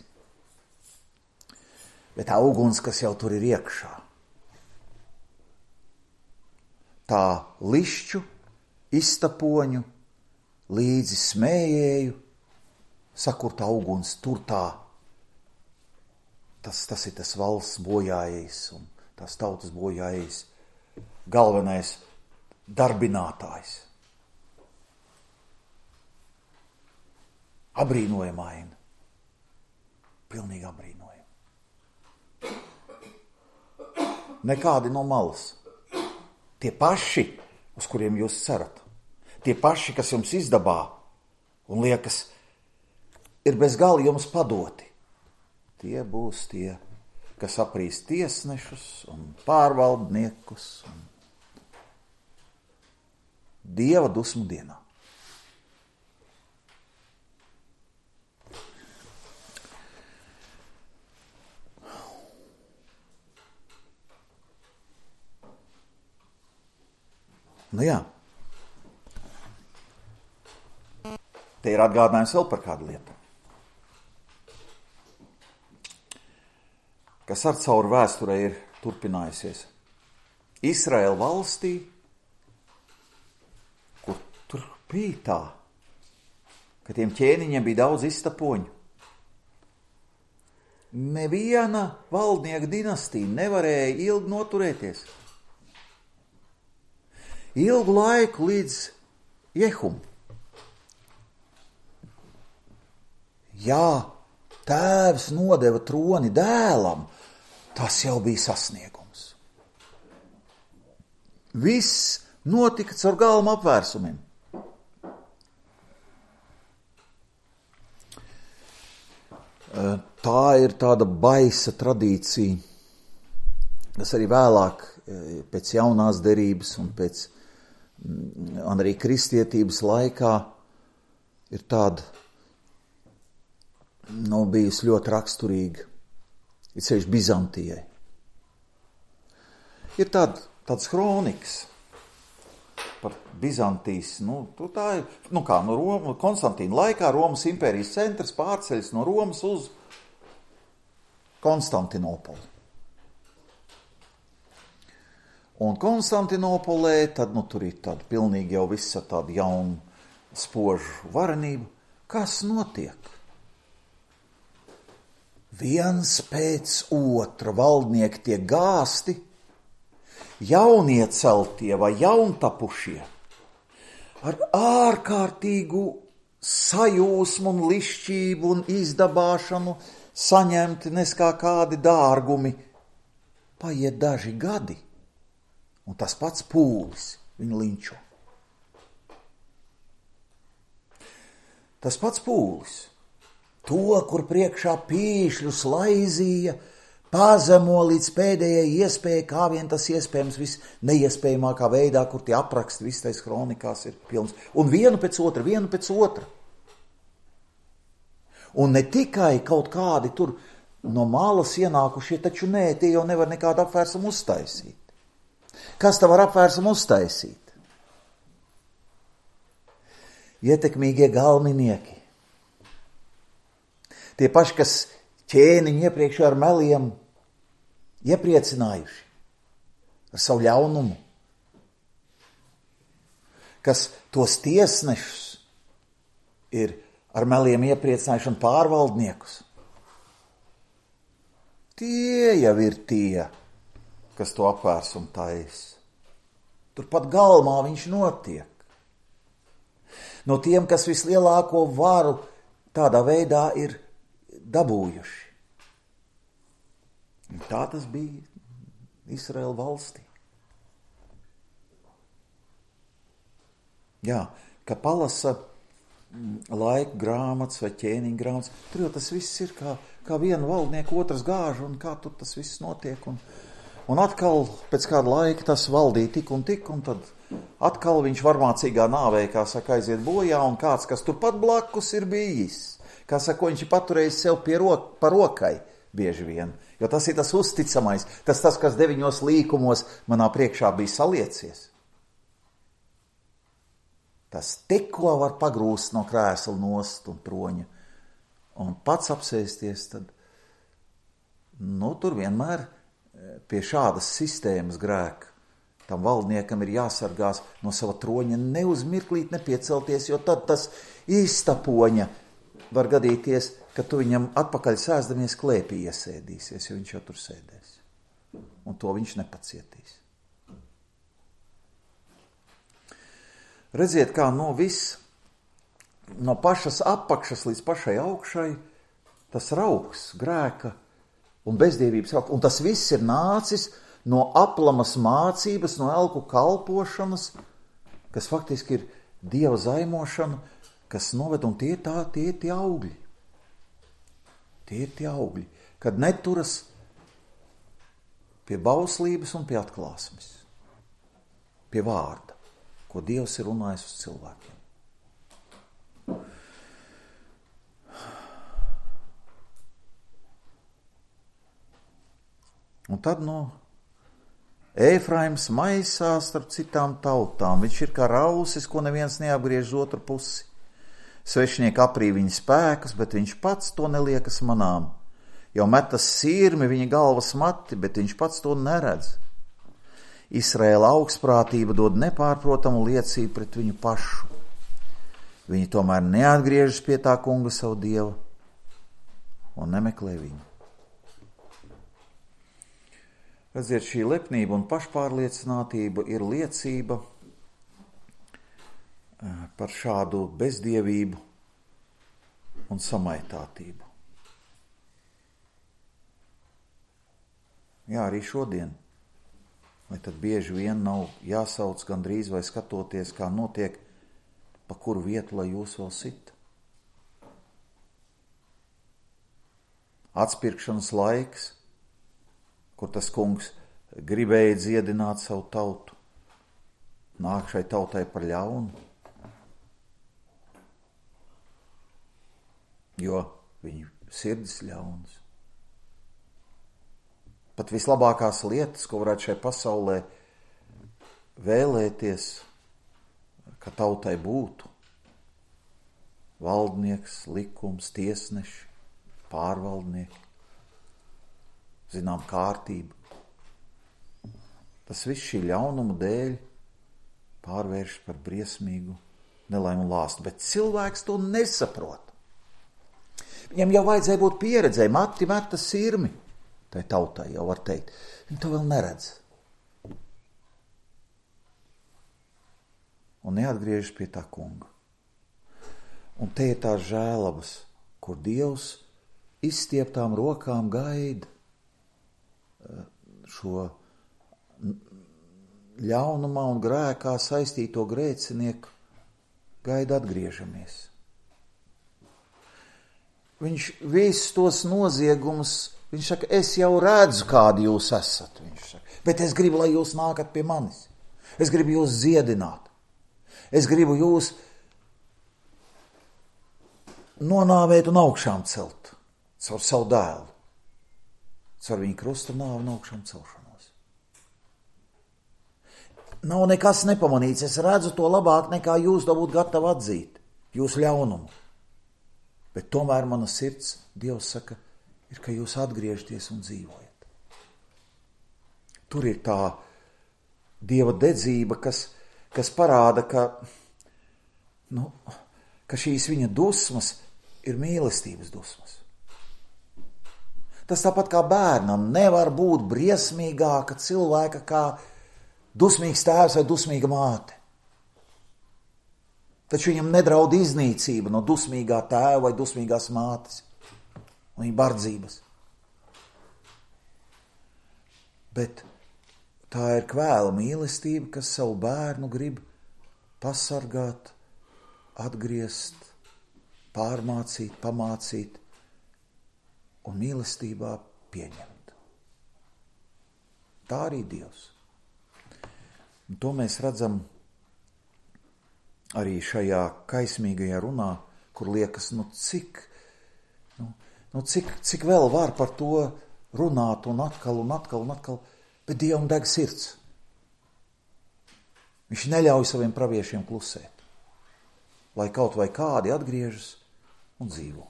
bet tā uguns, kas jau tur ir iekšā. Tā lišķu, iztapoņu, līdzi smējēju, sakurtā uguns tur tā tas, tas ir tas valsts bojājējs un tās tautas bojājējs, galvenais darbinātājs. Abrīnojamaina. Pilnīgi abrīnojama. Nekādi no malas. Tie paši, uz kuriem jūs cerat. Tie paši, kas jums izdabā un liekas, ir bez gala jums padoti. Tie būs tie, kas aprīs tiesnešus un pārvaldniekus un Dieva dusmu dienā. Nu jā. Te ir atgādinājums vēl par kādu lietu. Kas ar cauri vēsturē ir turpinājusies. Izraēla valstī, kur tur bija tā, ka tiem ķēniņiem bija daudz iztapoņu. Neviena valdnieka dinastija nevarēja ilgi noturēties. Ilgu laiku līdz Jehum. Jā, tēvs nodeva troni dēlam, tas jau bija sasniegums. Viss notika caur galma apvērsumiem. Tā ir tāda baisa tradīcija, kas arī vēlāk pēc jaunās derības un pēc un arī kristietības laikā ir tāda, nu, bijusi ļoti raksturīga, ir sevišķi Bizantijai. Ir tāda, tāds kronikas par Bizantijas, nu, tā ir, nu kā, no Roma, Konstantīna laikā Romas impērijas centrs pārceļas no Romas uz Konstantinopoli. Un Konstantinopolē, tad, nu, tur ir tāda pilnīgi jau visa tāda jauna spožu varenība. Kas notiek? Viens pēc otra valdnieki tiek gāsti, jaunieceltie vai jauntapušie, ar ārkārtīgu sajūsmu un lišķību un izdabāšanu saņemti neskā kādi dārgumi. Paiet daži gadi. Un tas pats pūlis viņu linčo. Tas pats pūlis, to, kur priekšā pīšļus laizīja, pazemo līdz pēdējai iespēja, kā vien tas iespējams viss neiespējamākā veidā, kur tie apraksti viss tais kronikās ir pilns. Un vienu pēc otra, vienu pēc otra. Un ne tikai kaut kādi tur no malas ienākušie, taču nē, tie jau nevar nekādu apvērsumu uztaisīt. Kas tā var apvērsumu uztaisīt? Ietekmīgie galminieki. Tie paši, kas ķēniņu iepriekš ar meliem iepriecinājuši ar savu ļaunumu. Kas tos tiesnešus ir ar meliem iepriecinājuši un pārvaldniekus. Tie jau ir tie, kas to apvērsumu taisa. Turpat galmā viņš notiek. No tiem, kas vislielāko varu tādā veidā ir dabūjuši. Un tā tas bija Izraēla valstī. Jā, ka palasa laika grāmatas vai ķēniņa grāmatas, tur jau tas viss ir kā, kā viena valdnieka otras gāža un kā tur tas viss notiek. Un, un atkal pēc kāda laika tas valdīja tik un tik, un tad atkal viņš varmācīgā nāvē, kā saka, aiziet bojā, un kāds, kas turpat blakus ir bijis. Kā saka, viņš ir paturējis sev pie rok, pa rokai bieži vien. Jo tas ir tas uzticamais, tas tas, kas deviņos līkumos manā priekšā bija saliecies. Tas tikko var pagrūst no krēsla nost un troņa un pats apsēsties, tad, nu, tur vienmēr pie šādas sistēmas grēka tam valdniekam ir jāsargās no sava troņa neuzmirklīt, nepiecelties, jo tad tas iztapoņa var gadīties, ka tu viņam atpakaļ sēsdamies klēpī iesēdīsies, jo viņš jau tur sēdēs. Un to viņš nepacietīs. Redziet, kā no viss, no pašas apakšas līdz pašai augšai, tas rauks, grēka un bezdievības rauks. Un tas viss ir nācis no aplamas mācības, no elku kalpošanas, kas faktiski ir Dieva zaimošana, kas noved, un tie tā, tie ir tie augļi. Tie ir tie augļi, kad neturas pie bauslības un pie atklāsmes, pie vārda, ko Dievs ir runājis uz cilvēkiem. Un tad, no Ēfraims maisās starp citām tautām. Viņš ir kā rausis, ko neviens neapgriež uz otru pusi. Svešinieki aprī viņa spēkus, bet viņš pats to neliekas manām. Jau metas sirmi viņa galvas mati, bet viņš pats to neredz. Izraēla augstprātība dod nepārprotamu liecību pret viņu pašu. Viņi tomēr neatgriežas pie tā kunga savu Dievu un nemeklē viņu. Redziet, šī lepnība un pašpārliecinātība ir liecība par šādu bezdievību un samaitātību. Jā, arī šodien, vai tad bieži vien nav jāsauc gandrīz vai skatoties, kā notiek, pa kuru vietu, lai jūs vēl sit. Atspirkšanas laiks, kur tas kungs gribēja dziedināt savu tautu, nāk šai tautai par ļaunu, jo viņu sirds ļauns. Pat vislabākās lietas, ko varētu šai pasaulē vēlēties, ka tautai būtu, valdnieks, likums, tiesneši, pārvaldnieki, zinām, kārtība. Tas viss šī ļaunuma dēļ pārvērš par briesmīgu nelaimu un lāstu, bet cilvēks to nesaprot. Viņam jau vajadzēja būt pieredzēji, mati meta sirmi, tai tautai jau var teikt. Viņi to vēl neredz. Un neatgriežas pie tā kunga. Un te ir tās žēlabas, kur Dievs izstieptām rokām gaida šo ļaunumā un grēkā saistīto grēcinieku, gaida atgriežamies. Viņš visus tos noziegumus, viņš saka, es jau redzu, kādi jūs esat, viņš saka, bet es gribu, lai jūs nākat pie manis. Es gribu jūs dziedināt. Es gribu jūs nonāvēt un augšām celt caur savu dēlu. Caur viņu krusta nāvi un augšām celšanos. Nav nekas nepamanīts. Es redzu to labāk, nekā jūs to būtu gatavi atzīt. Jūsu ļaunumu. Bet tomēr mana sirds, Dievs saka, ir, ka jūs atgriežaties un dzīvojat. Tur ir tā Dieva dedzība, kas, kas parāda, ka, nu, ka šīs viņa dusmas ir mīlestības dusmas. Tas tāpat kā bērnam nevar būt briesmīgāka cilvēka kā dusmīgs tēvs vai dusmīga māte. Taču viņam nedraud iznīcība no dusmīgā tēva vai dusmīgās mātes un viņa bardzības. Bet tā ir kvēla mīlestība, kas savu bērnu grib pasargāt, atgriezt, pārmācīt, pamācīt un mīlestībā pieņemt. Tā arī Dievs. Un to mēs redzam arī šajā kaismīgajā runā, kur liekas, nu cik, nu, nu cik, cik vēl var par to runāt un atkal un atkal un atkal, bet Dievam deg sirds. Viņš neļauj saviem praviešiem klusēt, lai kaut vai kādi atgriežas un dzīvo.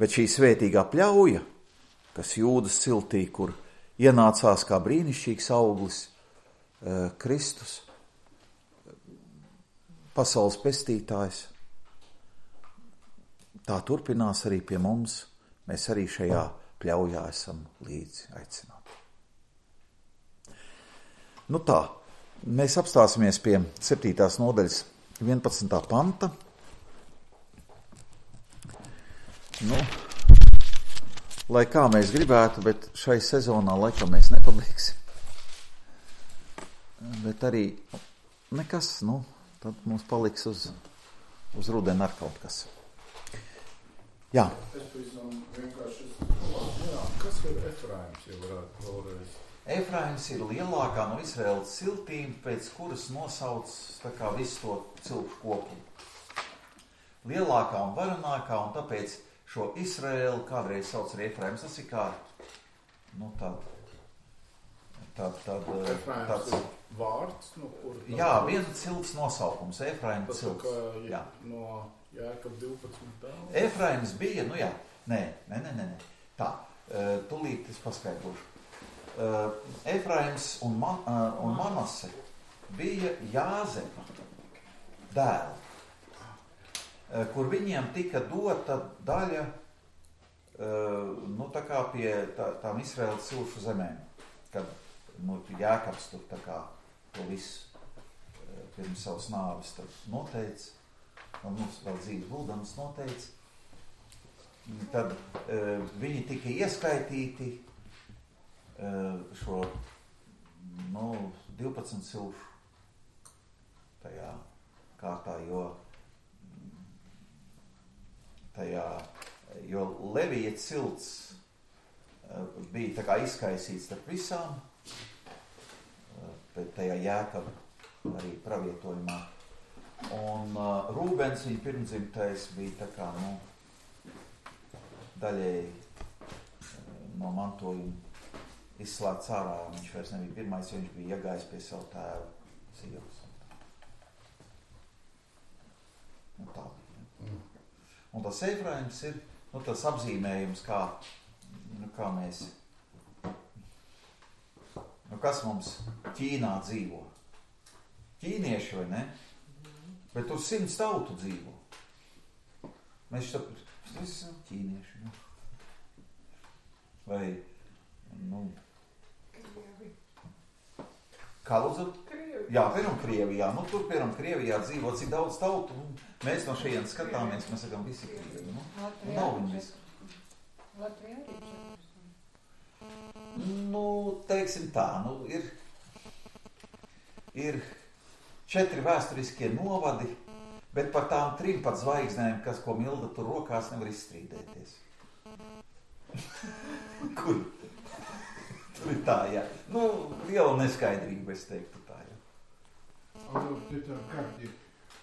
Bet šī svētīgā pļauja, kas Jūdas ciltī, kur ienācās kā brīnišķīgs auglis, eh, Kristus, pasaules pestītājs, tā turpinās arī pie mums. Mēs arī šajā pļaujā esam līdzi aicināti. Nu tā, mēs apstāsimies pie septītās nodaļas vienpadsmitā panta. Nu, lai kā mēs gribētu, bet šai sezonā laikam mēs nepabeigsim. Bet arī nekas, nu, tad mums paliks uz, uz rudeni ar kaut kas. Jā. Es pavisam vienkārši, jā, kas ir Efraims, ja varētu vēlreiz? Efraims ir lielākā no Izraēlas ciltīm, pēc kuras nosauc tā kā visu to cilšu kopumu. Lielākā un varenākā, un tāpēc šo Izraēlu kādreiz sauc arī Efraims. Tas ir kā, nu tād, tād, tād, Efraims tāds, ir vārds, no kur? Jā, viena cilts nosaukums, Efraima cilts. Tas tā jā. No Jēkab divpadsmit dēls? Efraims bija, nu jā, nē, nē, nē, nē, tā, tūlīt es paskaidrošu. Efraims un, Man, un Manase bija Jāzepa dēli, kur viņiem tika dota daļa, nu tā kā pie tā, tām Izraēlas cilšu zemēm, kad, nu, Jēkabs tur tā kā to visu pirms savas nāves tad noteica, un mums vēl dzīves guldams noteica, tad viņi tika ieskaitīti šo, nu, divpadsmit cilšu tajā kārtā, jo tajā, jo Levija cilts bija tā kā izkaisīts starp visām, bet tajā Jēkaba arī pravietojumā. Un uh, Rūbens, viņa pirmdzimtais, bija tā kā, nu, daļēji no mantojuma izslēgts ārā. Viņš vairs nebija pirmais, jo viņš bija iegājis pie savu tēvu sievas. Un tā bija. Un tas Efraims ir, nu, tas apzīmējums, kā, nu, kā mēs, nu, kas mums Ķīnā dzīvo. Ķīnieši, vai ne? Bet tur simts tautu dzīvo. Mēs šeit, mēs esam ķīnieši, nu. Vai, nu... Krievi. Kā lūdzu? Krievi. Jā, piemēram Krievijā. Nu, tur, piemēram, Krievijā dzīvo cik daudz tautu, un mēs no šejienes skatāmies, mēs sakām visi Krievi, nu. Un nav viņi visi. Latvijā arī Nu, teiksim tā, nu, ir, ir četri vēsturiskie novadi, bet par tām trim pat zvaigznēm, kas, ko Milda tur rokās, nevar izstrīdēties. Kur? Tur ir tā, jā. Nu, liela neskaidrība, es teiktu tā, jā. Alot, te tā karti,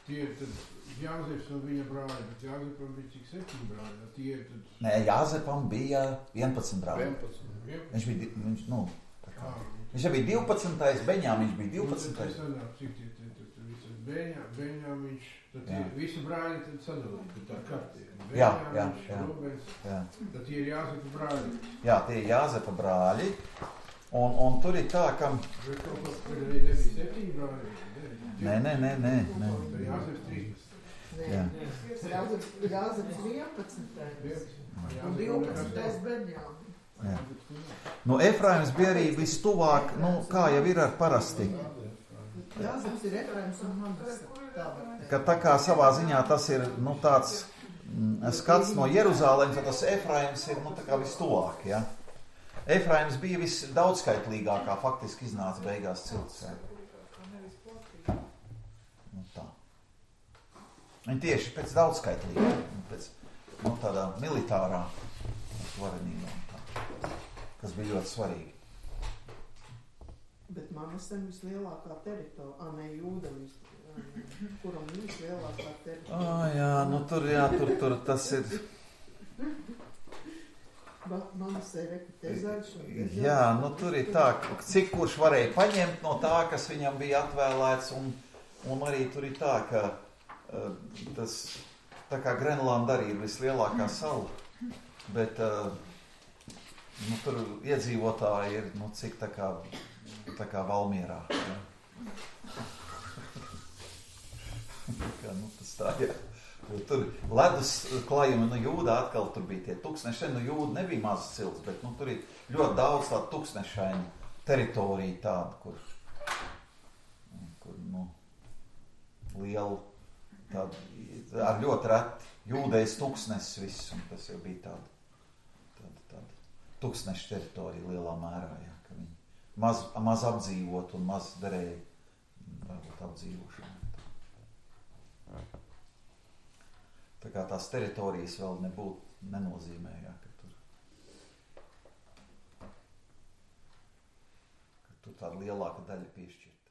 tie ir tad Jāzeps un viņa brāļi, bet Jāzepam bija cik septiņi brāļi, tie ir tad... Nē, Jāzepam bija vienpadsmit brāļi. vienpadsmit. Viņš bija, viņš, nu, tā kā, viņš bija divpadsmitais, Beņāmiņš bija divpadsmitais. Nu, tad sanāk, cik tie, tie, tie, tie, tie, Beņā, Beņāmiņš, tad tie visi brāļi tad sadalīti, tad tā karti. Jā, jā, jā. Rubens, Jā. tad tie ir Jāzepa brāļi. Jā, tie ir Jāzepa brāļi, un, un tur ir tā, ka... Bet kaut kā, kad arī nebija septiņi brāļi. Nē, nē, nē, nē, nē. Tad Jāzeps trīspadsmit. Jā. Jāzeps vienpadsmitais. Un divpadsmitais Beņāmiņš. Jā. Nu, Efraims bija arī vistuvāk, nu, kā jau ir ar parasti. Jāzeps ir Efraims un Manase. Ka tā kā savā ziņā tas ir, nu, tāds mm, skats no Jeruzālēm, tad tas Efraims ir, nu, tā kā vistuvāk, ja. Efraims bija visdaudzskaitlīgākā, faktiski iznāca beigās cilts, ja. Nu, tā. Viņi tieši pēc daudzskaitlīgā, pēc, nu, tādā militārā varenībā, tā, kas bija ļoti svarīgi. Bet Manasem vislielākā teritorija, a, ne Jūdam, kuram vislielākā teritorija. Ā, jā, nu tur, jā, tur, tur tas ir... Manasē rekutē zaļš un zaļš. Jā, nu tur ir tā, cik kurš varēja paņemt no tā, kas viņam bija atvēlēts, un, un arī tur ir tā, ka uh, tas, tā kā Grenlanda arī ir vislielākā sala, bet uh, nu, tur iedzīvotāji ir, nu, cik tā kā, tā kā Valmierā. Ja. ka, nu, tas tā, jā. Jo tur ledus klājumi, nu, jūdā atkal tur bija tie tuksneši, nu, jūda nebija mazas cilts, bet, nu, tur ir ļoti daudz tādu tuksnešainu teritoriju tādu, kur, kur, nu, lielu, tādu, ar ļoti reti jūdējs tuksnesis viss, un tas jau bija tāda, tāda, tāda tuksneša teritorija lielā mērā, jā, ka viņi maz, maz apdzīvot un maz derēja varbūt apdzīvošanu. Tā kā tās teritorijas vēl nebūtu nenozīmē, jā, ka tur, ka tur tāda lielāka daļa piešķirta.